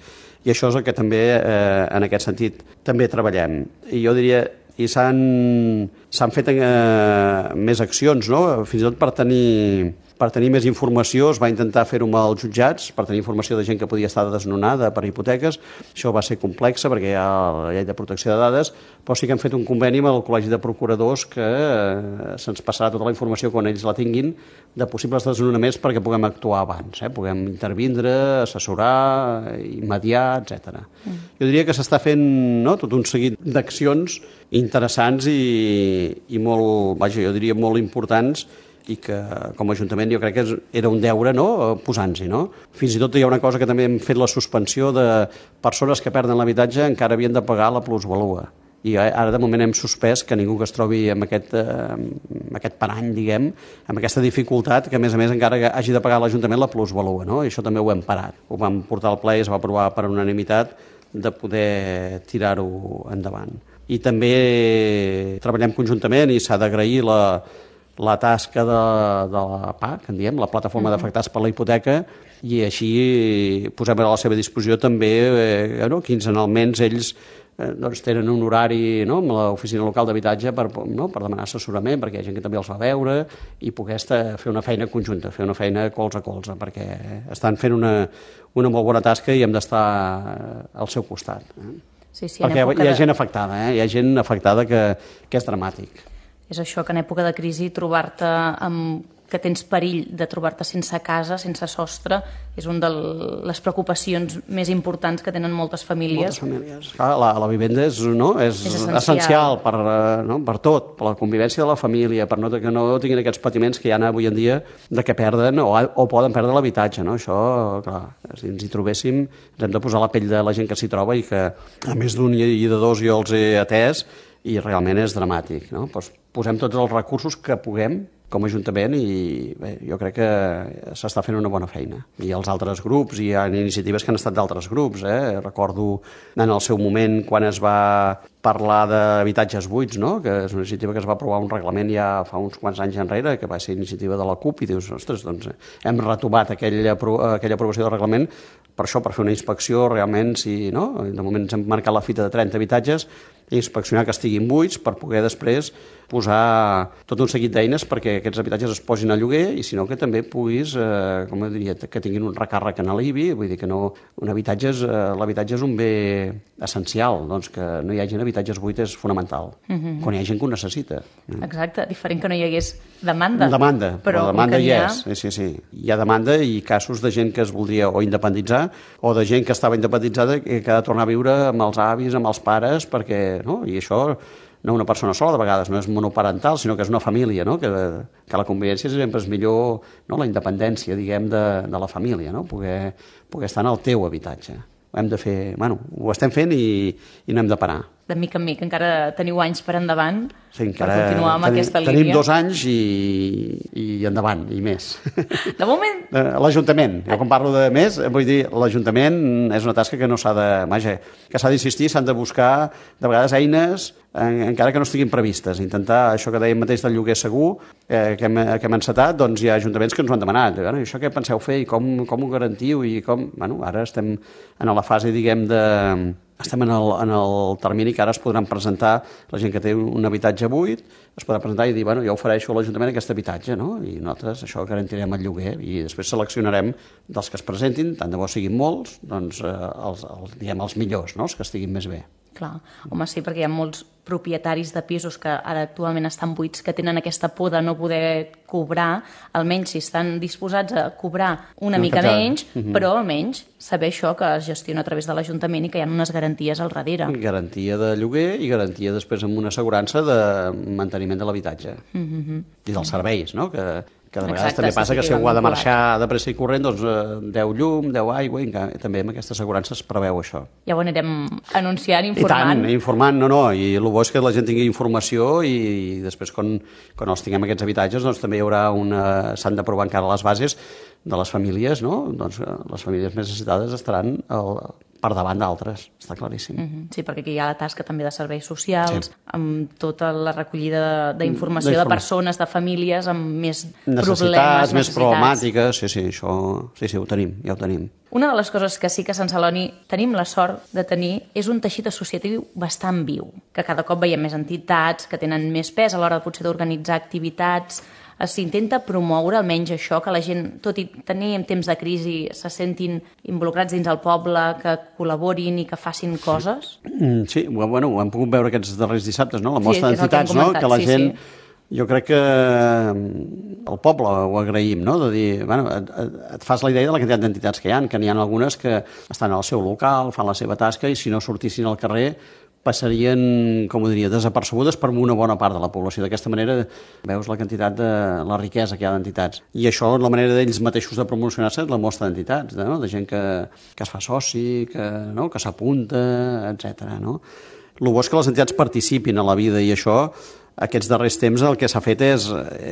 I això és el que també, eh, en aquest sentit, també treballem. I jo diria, i s'han s'han fet eh, més accions, no? Fins i tot per tenir... Per tenir més informació es va intentar fer-ho amb els jutjats, per tenir informació de gent que podia estar desnonada per hipoteques. Això va ser complexa perquè hi ha la llei de protecció de dades, però sí que hem fet un conveni amb el Col·legi de Procuradors que eh, se'ns passarà tota la informació quan ells la tinguin de possibles desnonaments perquè puguem actuar abans, eh? Puguem intervindre, assessorar, mediar, etcètera. Mm. Jo diria que s'està fent, no?, tot un seguit d'accions interessants i, i molt, vaja, jo diria molt importants, i que com a Ajuntament jo crec que era un deure, no?, posant-s'hi, no? Fins i tot hi ha una cosa que també hem fet la suspensió de persones que perden l'habitatge encara havien de pagar la plusvalua. i ara de moment hem suspès que ningú que es trobi amb aquest, eh, amb aquest parany, diguem, amb aquesta dificultat, que a més a més encara hagi de pagar l'Ajuntament la plusvalua, no? I això també ho hem parat. Ho vam portar al ple i es va aprovar per unanimitat de poder tirar-ho endavant. I també treballem conjuntament i s'ha d'agrair la, la tasca de, de la P A C, en diem, la Plataforma mm-hmm. d'Afectats per la Hipoteca, i així posem a la seva disposició també eh, no, quinzenalment ells eh, doncs, tenen un horari, no, amb l'oficina local d'habitatge per, no, per demanar assessorament, perquè hi ha gent que també els va veure i poder estar, fer una feina conjunta, fer una feina colze a colze, perquè estan fent una, una molt bona tasca i hem d'estar al seu costat. Eh? Sí, sí, perquè hi ha de... gent afectada, eh? Hi ha gent afectada que, que és dramàtic. És això, que en època de crisi trobar-te amb que tens perill de trobar-te sense casa, sense sostre, és una de les preocupacions més importants que tenen moltes famílies. Moltes famílies. Clar, la, la vivenda és, no? és, és essencial, essencial per, no? per tot, per la convivència de la família, per no, que no tinguin aquests patiments que hi ha avui en dia de que perden o, o poden perdre l'habitatge. No? Això, clar, si ens hi trobéssim, ens hem de posar la pell de la gent que s'hi troba i que a més d'un i de dos jo els he atès i realment és dramàtic. No? Pues posem tots els recursos que puguem com a Ajuntament i bé, jo crec que s'està fent una bona feina. I els altres grups, hi ha iniciatives que han estat d'altres grups. Eh? Recordo en el seu moment quan es va parlar d'habitatges buits, no? Que és una iniciativa que es va aprovar un reglament ja fa uns quants anys enrere, que va ser iniciativa de la CUP, i dius, ostres, doncs hem retomat aquella, aquella aprovació del reglament per això, per fer una inspecció realment, si, no? De moment ens hem marcat la fita de trenta habitatges, i inspeccionar que estiguin buits per poder després posar tot un seguit d'eines perquè aquests habitatges es posin a lloguer i si no que també puguis, eh, com diria, que tinguin un recàrrec en l'I B I, vull dir que no, un habitatge és, eh, l'habitatge és un bé essencial, doncs que no hi hagi habitatges buits és fonamental, mm-hmm. quan hi ha gent que ho necessita. Exacte, diferent que no hi hagués demanda. Demanda, però, però demanda hi ha... és, sí, sí, sí. Hi ha demanda i casos de gent que es voldria o independitzar o de gent que estava independitzada i que ha de tornar a viure amb els avis, amb els pares, perquè, no? I això no una persona sola, de vegades no és monoparental, sinó que és una família, no? que, que la convivència sempre és millor, no? La independència, diguem, de, de la família, no? poder, poder estar en el teu habitatge. Ho hem de fer, bueno, ho estem fent i, i no hem de parar. De mica en mica, encara teniu anys per endavant sí, per continuar amb tenim, aquesta línia. Tenim dos anys i, i endavant, i més. De moment... L'Ajuntament, jo quan parlo de més, vull dir, l'Ajuntament és una tasca que no s'ha de... Vaja, que s'ha d'insistir, s'han de buscar, de vegades, eines, en, encara que no estiguin previstes. Intentar, això que dèiem mateix del lloguer segur, eh, que, hem, que hem encetat, doncs hi ha ajuntaments que ens ho han demanat. Bueno, això què penseu fer i com, com ho garantiu? I com... Bueno, ara estem en la fase, diguem, de... Estem en el, en el termini que ara es podran presentar, la gent que té un habitatge buit, es podrà presentar i dir, bueno, jo ofereixo a l'Ajuntament aquest habitatge, no? I nosaltres això garantirem el lloguer i després seleccionarem dels que es presentin, tant de bo siguin molts, doncs eh, els, els, diguem, els millors, no? Els que estiguin més bé. Clar, home, sí, perquè hi ha molts propietaris de pisos que ara actualment estan buits, que tenen aquesta por de no poder cobrar, almenys si estan disposats a cobrar una no, mica menys, uh-huh. però almenys saber això que es gestiona a través de l'Ajuntament i que hi ha unes garanties al darrere. Garantia de lloguer i garantia després amb una assegurança de manteniment de l'habitatge. Uh-huh. I dels serveis, no? Que, que de vegades Exacte, també passa sí, que si algú ha de marxar de pressa i corrent, doncs deu llum, deu aigua, i també amb aquesta assegurança es preveu això. Ja ho anirem anunciant, informant. I tant, informant, no, no, i el bo és que la gent tingui informació i, i després quan, quan els tinguem aquests habitatges doncs també hi haurà una... s'han d'aprovar encara les bases de les famílies, no? Doncs les famílies més necessitades estaran el, per davant d'altres, està claríssim. Mm-hmm. Sí, perquè aquí hi ha la tasca també de serveis socials, sí. amb tota la recollida d'informació de persones, de famílies, amb més necessitats, problemes, més problemàtiques, sí, sí, això, sí, sí, ho tenim, ja ho tenim. Una de les coses que sí que a Sant Celoni tenim la sort de tenir és un teixit associatiu bastant viu, que cada cop veiem més entitats que tenen més pes a l'hora de potser d'organitzar activitats. S'intenta promoure almenys això, que la gent, tot i tenir en temps de crisi, se sentin involucrats dins el poble, que col·laborin i que facin coses? Sí, bueno, ho hem pogut veure aquests darrers dissabtes, no? La mostra sí, d'entitats, no? Que la sí, gent... Sí. Jo crec que el poble ho agraïm, no? De dir, bueno, et, et fas la idea de la quantitat d'entitats que hi ha, que n'hi ha algunes que estan al seu local, fan la seva tasca i si no sortissin al carrer passarien, com ho diria, desapercebudes per una bona part de la població. D'aquesta manera veus la quantitat de la riquesa que hi ha d'entitats. I això, la manera d'ells mateixos de promocionar-se és la mostra d'entitats, no? De gent que, que es fa soci, que, no? que s'apunta, etcètera. No? el bo és que les entitats participin a la vida i això, aquests darrers temps el que s'ha fet és,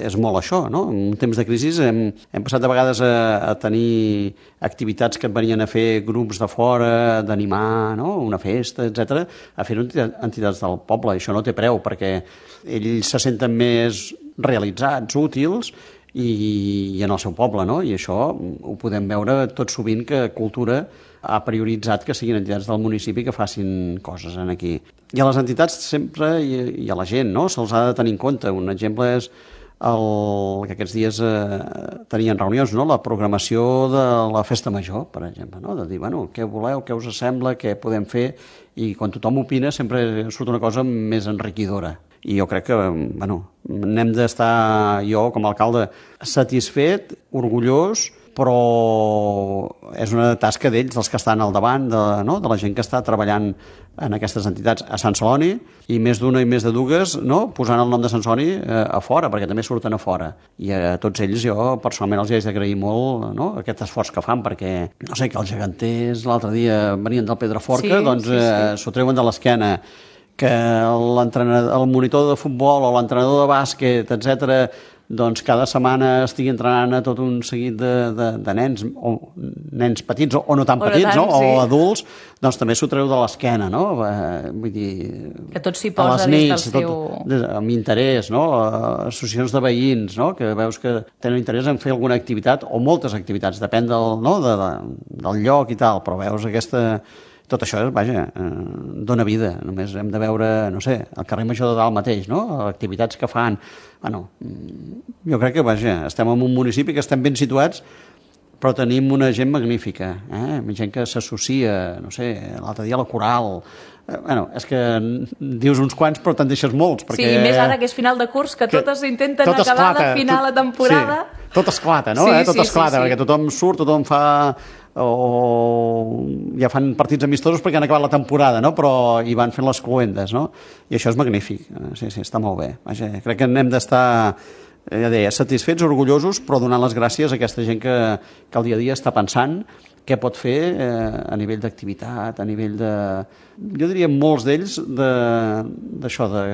és molt això, no? En un temps de crisi hem, hem passat de vegades a, a tenir activitats que et venien a fer grups de fora, d'animar, no? Una festa, etcètera, a fer entitats del poble. I això no té preu, perquè ells se senten més realitzats, útils, i, i en el seu poble, no? I això ho podem veure tot sovint que cultura ha prioritzat que siguin entitats del municipi que facin coses en aquí. I a les entitats sempre, i, i a la gent, no? Se'ls ha de tenir en compte. Un exemple és el, que aquests dies eh, tenien reunions, no? La programació de la festa major, per exemple, no? De dir, bueno, què voleu, què us sembla, què podem fer, i quan tothom opina sempre surt una cosa més enriquidora. I jo crec que, bueno, n'hem d'estar, jo com a alcalde, satisfet, orgullós, però és una tasca d'ells, dels que estan al davant, de, no? De la gent que està treballant en aquestes entitats a Sant Celoni, i més d'una i més de dues, no? Posant el nom de Sant Celoni eh, a fora, perquè també surten a fora. I a tots ells jo personalment els hi haig d'agrair molt, no? Aquest esforç que fan, perquè, no sé, que els geganters l'altre dia venien del Pedraforca, sí, doncs s'ho sí, sí. eh, treuen de l'esquena, que el monitor de futbol o l'entrenador de bàsquet, etcètera, doncs cada setmana estigui entrenant a tot un seguit de, de, de nens, o nens petits o, o no tan o petits, tant, no? Sí. O adults, doncs també s'ho treu de l'esquena, no? Vull dir, que tot s'hi posa des del seu... Tot, amb interès, no? Associacions de veïns, no? Que veus que tenen interès en fer alguna activitat, o moltes activitats, depèn del, no? de, de, del lloc i tal, però veus aquesta... Tot això, vaja, eh, dona vida. Només hem de veure, no sé, el carrer Major de Dalt mateix, no? Activitats que fan. Bueno, jo crec que, vaja, estem en un municipi que estem ben situats, però tenim una gent magnífica, eh? Gent que s'associa, no sé, l'altre dia a la Coral. Eh, bueno, és que dius uns quants, però te'n deixes molts. Perquè... Sí, i més ara que és final de curs, que, que totes intenten tot acabar esclata, de final tot, la temporada. Sí, tot esclata, no? Sí, eh? Tot sí, esclata, sí, sí. Perquè tothom surt, tothom fa... o ja fan partits amistosos perquè han acabat la temporada, no? Però hi van fent les cluendes, no? I això és magnífic, sí, sí, està molt bé. Vaja, crec que n'hem d'estar, ja deia, satisfets, orgullosos, però donant les gràcies a aquesta gent que, que al dia a dia està pensant què pot fer eh, a nivell d'activitat, a nivell de... Jo diria molts d'ells d'això, de,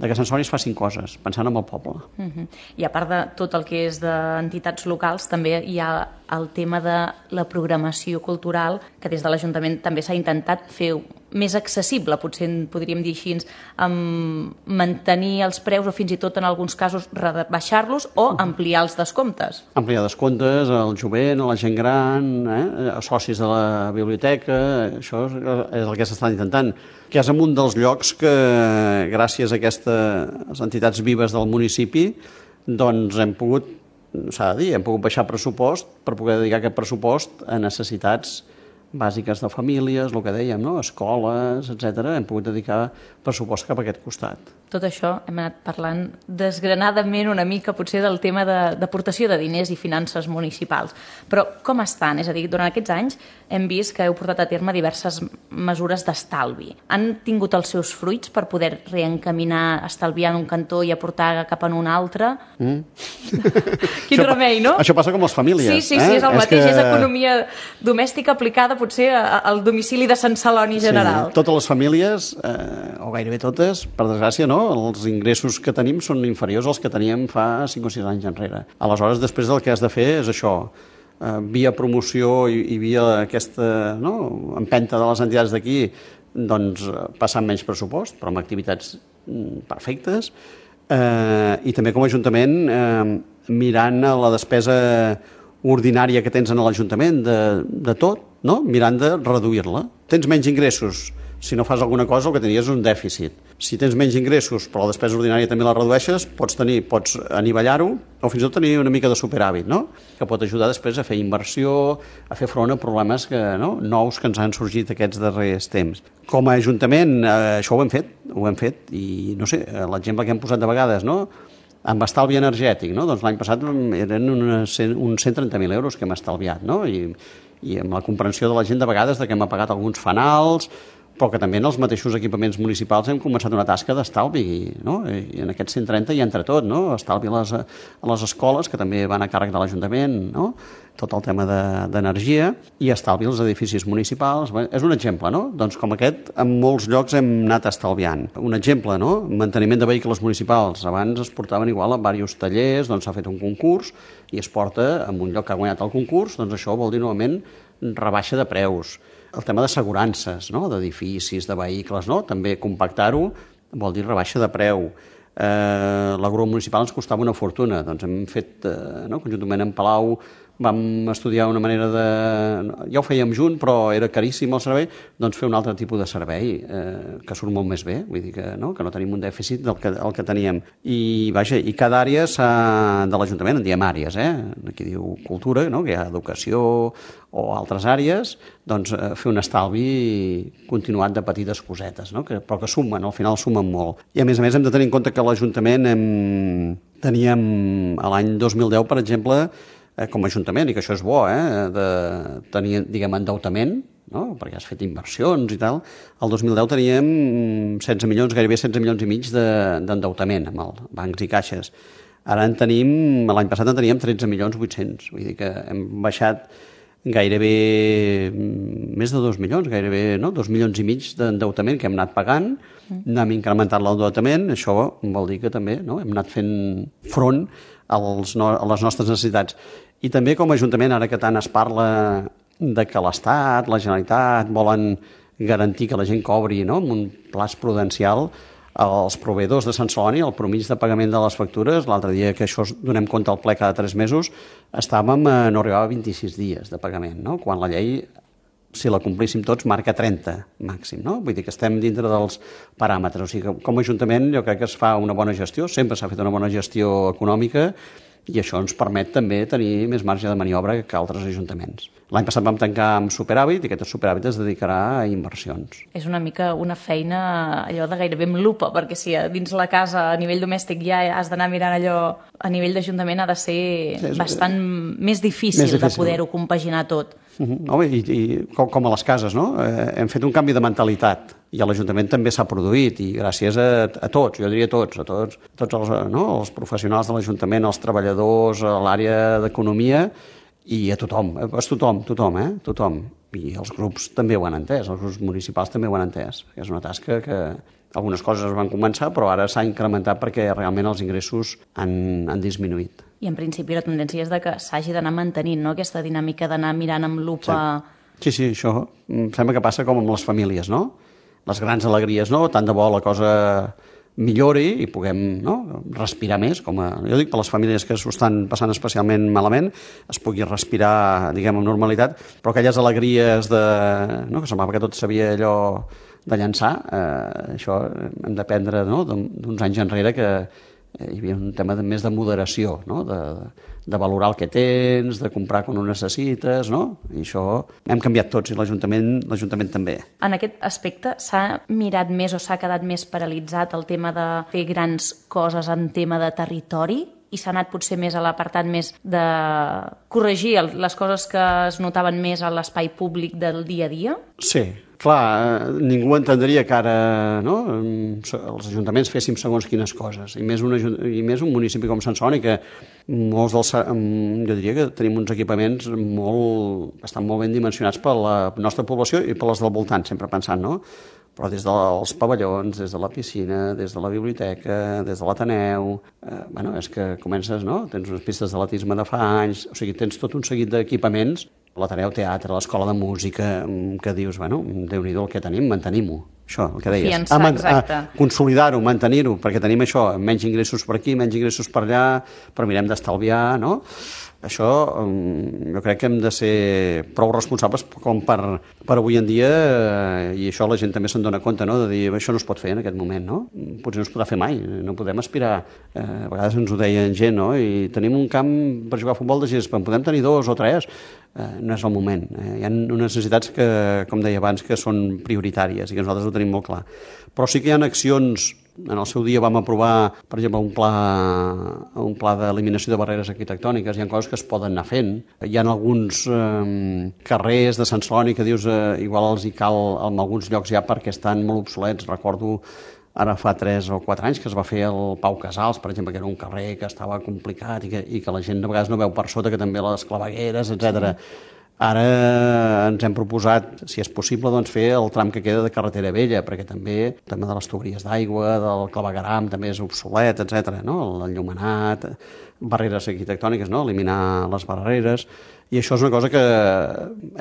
de que Sant Celoni es facin coses, pensant en el poble. Uh-huh. I a part de tot el que és d'entitats locals, també hi ha el tema de la programació cultural, que des de l'Ajuntament també s'ha intentat fer més accessible, potser podríem dir així, amb mantenir els preus o fins i tot en alguns casos rebaixar-los o ampliar els descomptes. Ampliar descomptes al jovent, a la gent gran, eh? A socis de la biblioteca, això és el que s'està intentant, que és en un dels llocs que, gràcies a aquestes entitats vives del municipi, doncs hem pogut, s'ha de dir, hem pogut baixar pressupost per poder dedicar aquest pressupost a necessitats bàsiques de famílies, el que dèiem, no? Escoles, etcètera. Hem pogut dedicar pressupost cap a aquest costat. Tot això hem anat parlant desgranadament una mica potser del tema d'aportació de, de diners i finances municipals. Però com estan? És a dir, durant aquests anys hem vist que heu portat a terme diverses mesures d'estalvi. Han tingut els seus fruits per poder reencaminar, estalviar en un cantó i aportar cap en un altre? Mm. Quin això remei, no? Això passa com les famílies. Sí, sí, sí, eh? és el és mateix. que... És economia domèstica aplicada potser al domicili de Sant Celoni general. Sí, totes les famílies, eh, o gairebé totes, per desgràcia, no? Els ingressos que tenim són inferiors als que teníem fa cinc o sis anys enrere. Aleshores, després el que has de fer és això, eh, via promoció i, i via aquesta, no? Empenta de les entitats d'aquí, doncs passant menys pressupost, però amb activitats perfectes, eh, i també com a Ajuntament eh, mirant la despesa ordinària que tens en l'Ajuntament de, de tot, no? Mirant de reduir-la. Tens menys ingressos, si no fas alguna cosa el que tenies és un dèficit. Si tens menys ingressos però la despesa ordinària també la redueixes, pots tenir, pots anivellar-ho o fins i tot tenir una mica de superàvit, no? Que pot ajudar després a fer inversió, a fer front a problemes que, no? nous que ens han sorgit aquests darrers temps. Com a Ajuntament eh, això ho hem fet, ho hem fet i no sé, l'exemple que hem posat de vegades, no? Amb estalvi energètic, no? Doncs l'any passat eren uns cent trenta mil euros que hem estalviat, no? I, i amb la comprensió de la gent de vegades de que hem apagat alguns fanals però que també en els mateixos equipaments municipals hem començat una tasca d'estalvi, no? I en aquests cent trenta hi ha entre tot, no? Estalvi a les, a les escoles, que també van a càrrec de l'Ajuntament, no? Tot el tema d'energia, i estalvi als edificis municipals. Bé, és un exemple, no? Doncs com aquest, en molts llocs hem anat estalviant. Un exemple, no? Manteniment de vehicles municipals. Abans es portaven igual a diversos tallers, doncs s'ha fet un concurs i es porta en un lloc que ha guanyat el concurs, doncs això vol dir normalment rebaixa de preus. El tema d'assegurances, no? D'edificis, de vehicles, no? També compactar-ho vol dir rebaixa de preu. Eh, la grua municipal ens costava una fortuna, doncs hem fet, eh, no? Conjuntament amb Palau, vam estudiar una manera de... Ja ho fèiem junt, però era caríssim el servei, doncs fer un altre tipus de servei, eh, que surt molt més bé, vull dir que no, que no tenim un dèficit del que, el que teníem. I, vaja, i cada àrea de l'Ajuntament, en diem àrees, eh? Aquí diu cultura, no? Que hi ha educació o altres àrees, doncs eh, fer un estalvi continuat de petites cosetes, no? Que, però que sumen, al final sumen molt. I a més a més hem de tenir en compte que l'Ajuntament hem... teníem l'any dos mil deu, per exemple, Eh, com a Ajuntament, i que això és bo, eh, de tenir, diguem, endeutament, no? Perquè has fet inversions i tal. El dos mil deu teníem setze milions, gairebé setze milions i mig d'endeutament amb els bancs i caixes. Ara en tenim, l'any passat en teníem tretze milions vuit-cents, vull dir que hem baixat gairebé més de dos milions, gairebé no? dos milions i mig d'endeutament que hem anat pagant, mm. hem incrementat l'endeutament, això vol dir que també no? hem anat fent front als no, a les nostres necessitats. I també com a Ajuntament, ara que tant es parla de que l'Estat, la Generalitat volen garantir que la gent cobri no? amb un plaç prudencial, els proveïdors de Sant Celoni, el promís de pagament de les factures, l'altre dia que això donem compte al ple cada tres mesos, estàvem a no arribava a vint-i-sis dies de pagament, no? Quan la llei, si la complíssim tots, marca trenta màxim, no? Vull dir que estem dintre dels paràmetres. O sigui que com a Ajuntament jo crec que es fa una bona gestió, sempre s'ha fet una bona gestió econòmica i això ens permet també tenir més marge de maniobra que altres ajuntaments. L'any passat vam tancar amb superàvit i aquest superàvit es dedicarà a inversions. És una mica una feina allò de gairebé amb lupa, perquè si dins la casa a nivell domèstic ja has d'anar mirant allò, a nivell d'Ajuntament ha de ser sí, és, bastant més difícil, més difícil. de poder-ho compaginar tot. Uh-huh. No, i, i com, com a les cases, no? Eh, hem fet un canvi de mentalitat i a l'Ajuntament també s'ha produït i gràcies a, a tots, jo diria tots, a tots, tots els, no? els professionals de l'Ajuntament, els treballadors, a l'àrea d'economia i a tothom, a tothom, tothom, eh? Tothom. I els grups també ho han entès, els grups municipals també ho han entès. És una tasca que algunes coses van començar, però ara s'ha incrementat perquè realment els ingressos han, han disminuït. I en principi la tendència és de que s'hagi d'anar mantenint, no?, aquesta dinàmica d'anar mirant amb lupa... Sí. sí, sí, això em sembla que passa com amb les famílies, no? Les grans alegries, no? Tant de bo la cosa millori i puguem no? respirar més, com a, jo dic per les famílies que s'ho estan passant especialment malament, es pugui respirar, diguem, amb normalitat, però aquelles alegries de, no? que semblava que tot s'havia allò de llançar, eh, això hem d'aprendre no? d'uns anys enrere que hi havia un tema de, més de moderació, no? de, de valorar el que tens, de comprar quan ho necessites, no? I això hem canviat tots i l'Ajuntament l'Ajuntament també. En aquest aspecte s'ha mirat més o s'ha quedat més paralitzat el tema de fer grans coses en tema de territori i s'ha anat potser més a l'apartat més de corregir les coses que es notaven més a l'espai públic del dia a dia? Sí. Clar, ningú entendria que ara no, els ajuntaments féssim segons quines coses, i més un, i més un municipi com Sant Celoni, que molts dels, jo diria que tenim uns equipaments molt, estan molt ben dimensionats per la nostra població i per les del voltant, sempre pensant, no? Però des dels pavellons, des de la piscina, des de la biblioteca, des de l'Ateneu, eh, bueno, és que comences, no? Tens unes pistes d'atletisme de fa anys, o sigui, tens tot un seguit d'equipaments, l'Ateneu Teatre, l'Escola de Música, que dius, bueno, Déu-n'hi-do el que tenim, mantenim-ho. Això, el que deies. Fiançar, a, exacte. A consolidar-ho, mantenir-ho, perquè tenim això, menys ingressos per aquí, menys ingressos per allà, però mirem d'estalviar, no? Això jo crec que hem de ser prou responsables com per, per avui en dia, i això la gent també se'n dona compte, no? De dir, això no es pot fer en aquest moment, no? Potser no es podrà fer mai, no podem aspirar. Eh, a vegades ens ho deien gent, no? I tenim un camp per jugar a futbol de gespa, en podem tenir dos o tres, eh, no és el moment. Eh, hi ha unes necessitats que, com deia abans, que són prioritàries i que nosaltres ho tenim molt clar. Però sí que hi ha accions En el seu dia vam aprovar, per exemple, un pla, un pla d'eliminació de barreres arquitectòniques. Hi ha coses que es poden anar fent. Hi ha alguns eh, carrers de Sant Celoni que dius eh, igual els hi cal en alguns llocs ja perquè estan molt obsolets. Recordo ara fa tres o quatre anys que es va fer el Pau Casals, per exemple, que era un carrer que estava complicat i que, i que la gent de vegades no veu per sota, que també les clavegueres, etcètera. Sí. Ara ens hem proposat, si és possible, doncs, fer el tram que queda de carretera vella, perquè també el tema de les tuberies d'aigua, del clavegueram, també és obsolet, etcètera. No? L'enllumenat, barreres arquitectòniques, no? Eliminar les barreres, i això és una cosa que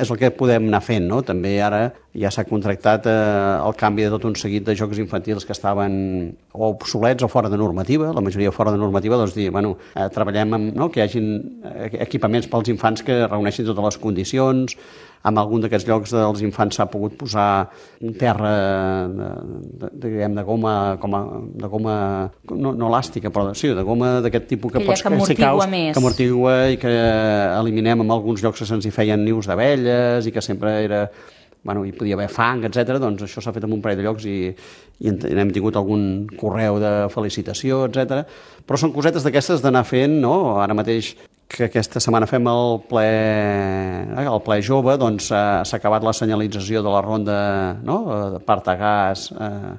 és el que podem anar fent, no? També ara ja s'ha contractat eh, el canvi de tot un seguit de jocs infantils que estaven o obsolets o fora de normativa, la majoria fora de normativa, doncs dir, bueno, eh, treballem amb, no? Que hi hagin equipaments pels infants que reuneixin totes les condicions. En algun d'aquests llocs dels infants s'ha pogut posar un terra de, de, de, diguem, de goma, com a, de goma no, no elàstica, però sí, de goma d'aquest tipus que, que pots que amortigua més. Que amortigua i que eliminem en alguns llocs que se'ns hi feien nius d'abelles i que sempre era... Bueno, hi podia haver fang, etcètera. Doncs això s'ha fet en un parell de llocs i, i hem tingut algun correu de felicitació, etcètera. Però són cosetes d'aquestes d'anar fent, no? Ara mateix que aquesta setmana fem el ple, el ple jove, doncs s'ha acabat la senyalització de la ronda, no? De Partagàs, eh,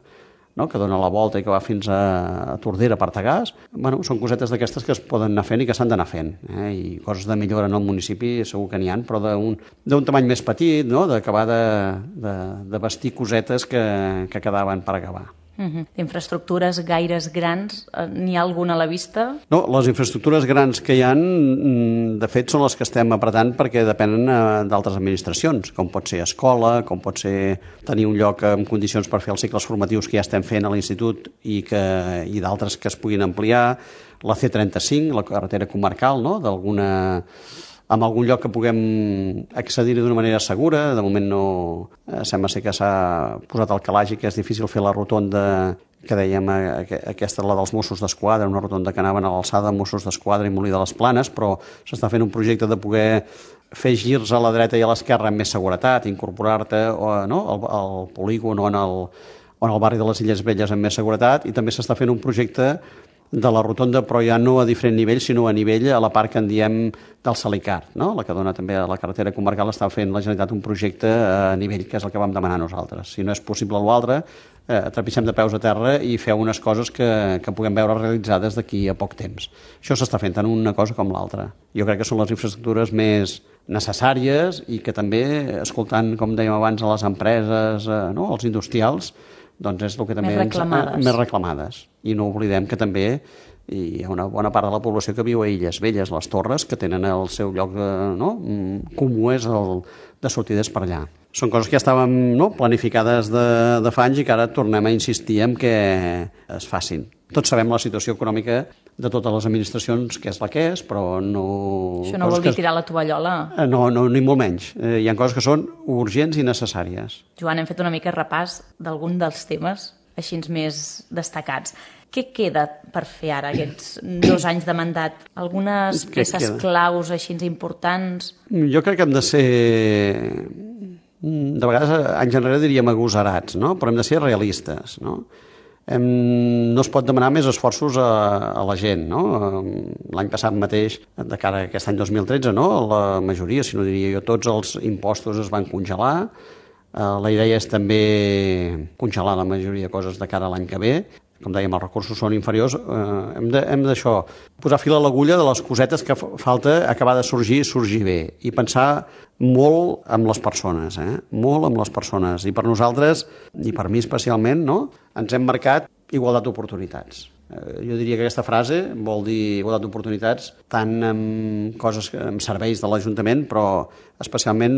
no? Que dona la volta i que va fins a Tordera, Partagàs. Bueno, són cosetes d'aquestes que es poden anar fent i que s'han d'anar fent. Eh? I coses de millora en el municipi segur que n'hi ha, però d'un tamany més petit, no? D'acabar de, de, de vestir cosetes que, que quedaven per acabar. Uh-huh. Infraestructures gaires grans, n'hi ha alguna a la vista? No, les infraestructures grans que hi ha, de fet, són les que estem apretant perquè depenen d'altres administracions, com pot ser escola, com pot ser tenir un lloc en condicions per fer els cicles formatius que ja estem fent a l'institut i, que, i d'altres que es puguin ampliar, la C trenta-cinc, la carretera comarcal, no? D'alguna... en algun lloc que puguem accedir-hi d'una manera segura. De moment no... Eh, sembla ser que s'ha posat al calaix i que és difícil fer la rotonda que dèiem, aquesta, la dels Mossos d'Esquadra, una rotonda que anaven a l'alçada de Mossos d'Esquadra i Molí de les Planes, però s'està fent un projecte de poder fer girs a la dreta i a l'esquerra amb més seguretat, incorporar-te no? al, al polígon o en el, o en el barri de les Illes Velles amb més seguretat, i també s'està fent un projecte de la rotonda, però ja no a diferent nivell, sinó a nivell a la part que en diem del Salicar, no? La que dona també a la carretera comarcal. Està fent la Generalitat un projecte a nivell, que és el que vam demanar nosaltres. Si no és possible l'altre, eh, trepitgem de peus a terra i feu unes coses que, que puguem veure realitzades d'aquí a poc temps. Això s'està fent tant una cosa com l'altra. Jo crec que són les infraestructures més necessàries i que també, escoltant, com dèiem abans, a les empreses, eh, no? Els industrials, doncs és el que també més reclamades. Ens, més reclamades. I no oblidem que també hi ha una bona part de la població que viu a Illes Velles, les Torres, que tenen el seu lloc no? comú és el de sortides per allà. Són coses que ja estàvem no? planificades de, de fa anys i que ara tornem a insistir en que es facin. Tots sabem la situació econòmica de totes les administracions, que és la que és, però no... Això no vol dir que... tirar la tovallola? No, no, ni molt menys. Eh, hi ha coses que són urgents i necessàries. Joan, hem fet una mica repàs d'algun dels temes així més destacats. Què queda per fer ara, aquests dos anys de mandat? Algunes peces claus així importants? Jo crec que hem de ser... De vegades, anys enrere diríem agosarats, no? Però hem de ser realistes, no? Hem, no es pot demanar més esforços a, a la gent, no? L'any passat mateix, de cara a aquest any dos mil tretze, no? La majoria, si no diria jo, tots els impostos es van congelar. Uh, la idea és també congelar la majoria de coses de cara a l'any que ve. Com dèiem, els recursos són inferiors. Uh, hem, de, hem d'això, posar fil a l'agulla de les cosetes que falta acabar de sorgir, sorgir bé. I pensar molt amb les persones, eh? Molt amb les persones. I per nosaltres, i per mi especialment, no? Ens hem marcat igualtat d'oportunitats. Jo diria que aquesta frase vol dir igualtat d'oportunitats tant amb coses, amb serveis de l'Ajuntament, però especialment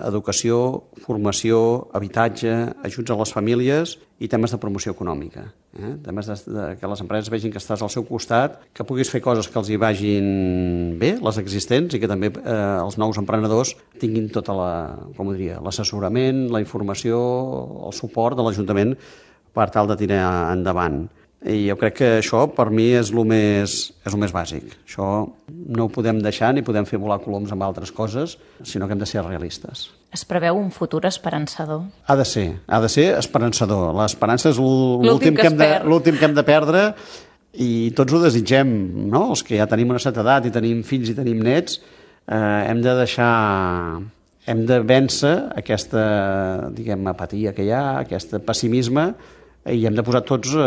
educació, formació, habitatge, ajuts a les famílies i temes de promoció econòmica. Eh? Temes de, de, que les empreses vegin que estàs al seu costat, que puguis fer coses que els hi vagin bé, les existents, i que també eh, els nous emprenedors tinguin tota la, com ho diria, l'assessorament, la informació, el suport de l'Ajuntament per tal de tirar endavant. I jo crec que això, per mi, és el més, és el més bàsic. Això no ho podem deixar ni podem fer volar coloms amb altres coses, sinó que hem de ser realistes. Es preveu un futur esperançador? Ha de ser, ha de ser esperançador. L'esperança és l'últim L'últim que que, es hem de, perd. l'últim que hem de perdre i tots ho desitgem, no? Els que ja tenim una certa edat i tenim fills i tenim nets, eh, hem de deixar... hem de vèncer aquesta, diguem, apatia que hi ha, aquest pessimisme, i hem de posar tots eh,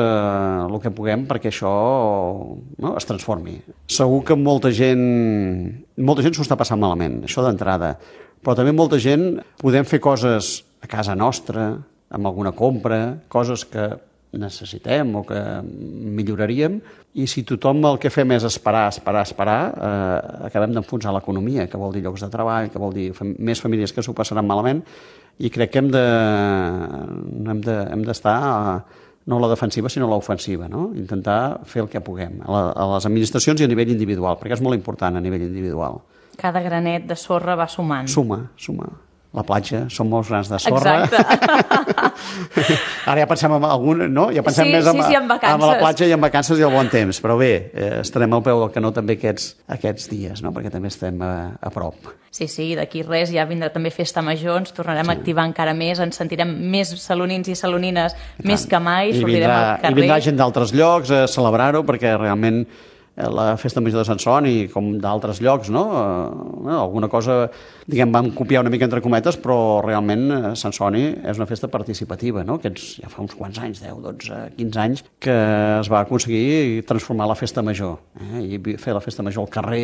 el que puguem perquè això no, es transformi. Segur que molta gent molta gent s'ho està passant malament, això d'entrada, però també molta gent podem fer coses a casa nostra, amb alguna compra, coses que necessitem o que milloraríem, i si tothom el que fem és esperar, esperar, esperar, eh, acabem d'enfonsar l'economia, que vol dir llocs de treball, que vol dir fam- més famílies que s'ho passaran malament, i crec que hem de hem de, hem d'estar no a la defensiva sinó a l'ofensiva, no? Intentar fer el que puguem a, la, a les administracions i a nivell individual, perquè és molt important a nivell individual. Cada granet de sorra va sumant. Suma, suma. La platja, són molts grans de sorra. Exacte. Ara ja pensem en algun, no? Ja pensem Sí, més sí, en, sí, en vacances. en la platja i en vacances i el bon temps, però bé, eh, estarem al peu del canó també aquests, aquests dies, no? Perquè també estem a, a prop. Sí, sí, d'aquí res ja vindrà també festa major, ens tornarem sí. a activar encara més, ens sentirem més salonins i salonines més que mai, I sortirem vindrà, al carrer. I vindrà gent d'altres llocs a celebrar-ho, perquè realment la festa major de Sant Celoni, com d'altres llocs, no? Eh, alguna cosa, diguem, vam copiar una mica entre cometes, però realment eh, Sant Celoni és una festa participativa, no? Aquests, ja fa uns quants anys, deu, dotze, quinze anys, que es va aconseguir transformar la festa major, eh? I fer la festa major al carrer.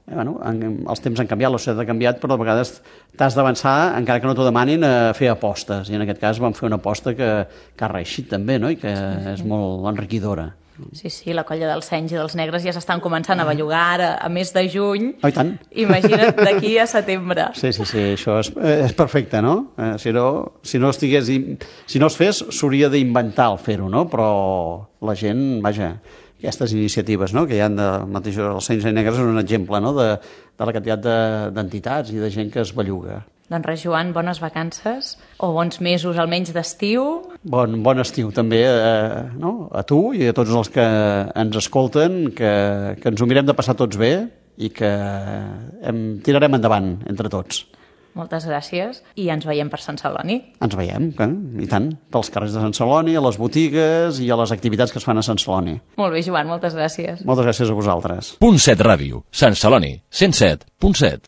Eh, bueno, en, els temps han canviat, la societat ha canviat, però a vegades t'has d'avançar, encara que no t'ho demanin, a fer apostes. I en aquest cas vam fer una aposta que, que ha reeixit també, no? I que sí, sí. és molt enriquidora. Sí, sí, la colla dels senys i dels negres ja s'estan començant a bellugar ara, a mes de juny. Oh, i tant. Imagina't d'aquí a setembre. Sí, sí, sí, això és, és perfecte, no? Eh, si no, si no estigués, si no es fes, s'hauria d'inventar el fer-ho, no? Però la gent, vaja, aquestes iniciatives, no? Que hi ha de, mateix, els senys i negres és un exemple, no? De, de la quantitat de, d'entitats i de gent que es belluga. Doncs res, Joan, bones vacances, o bons mesos almenys d'estiu. Bon, bon estiu també eh, no? A tu i a tots els que ens escolten, que, que ens ho mirem de passar tots bé i que hem, tirarem endavant entre tots. Moltes gràcies i ens veiem per Sant Celoni. Ens veiem, eh? I tant, pels carrers de Sant Celoni, a les botigues i a les activitats que es fan a Sant Celoni. Molt bé, Joan, moltes gràcies. Moltes gràcies a vosaltres. Punt set Ràdio, Sant Celoni, cent set punt set.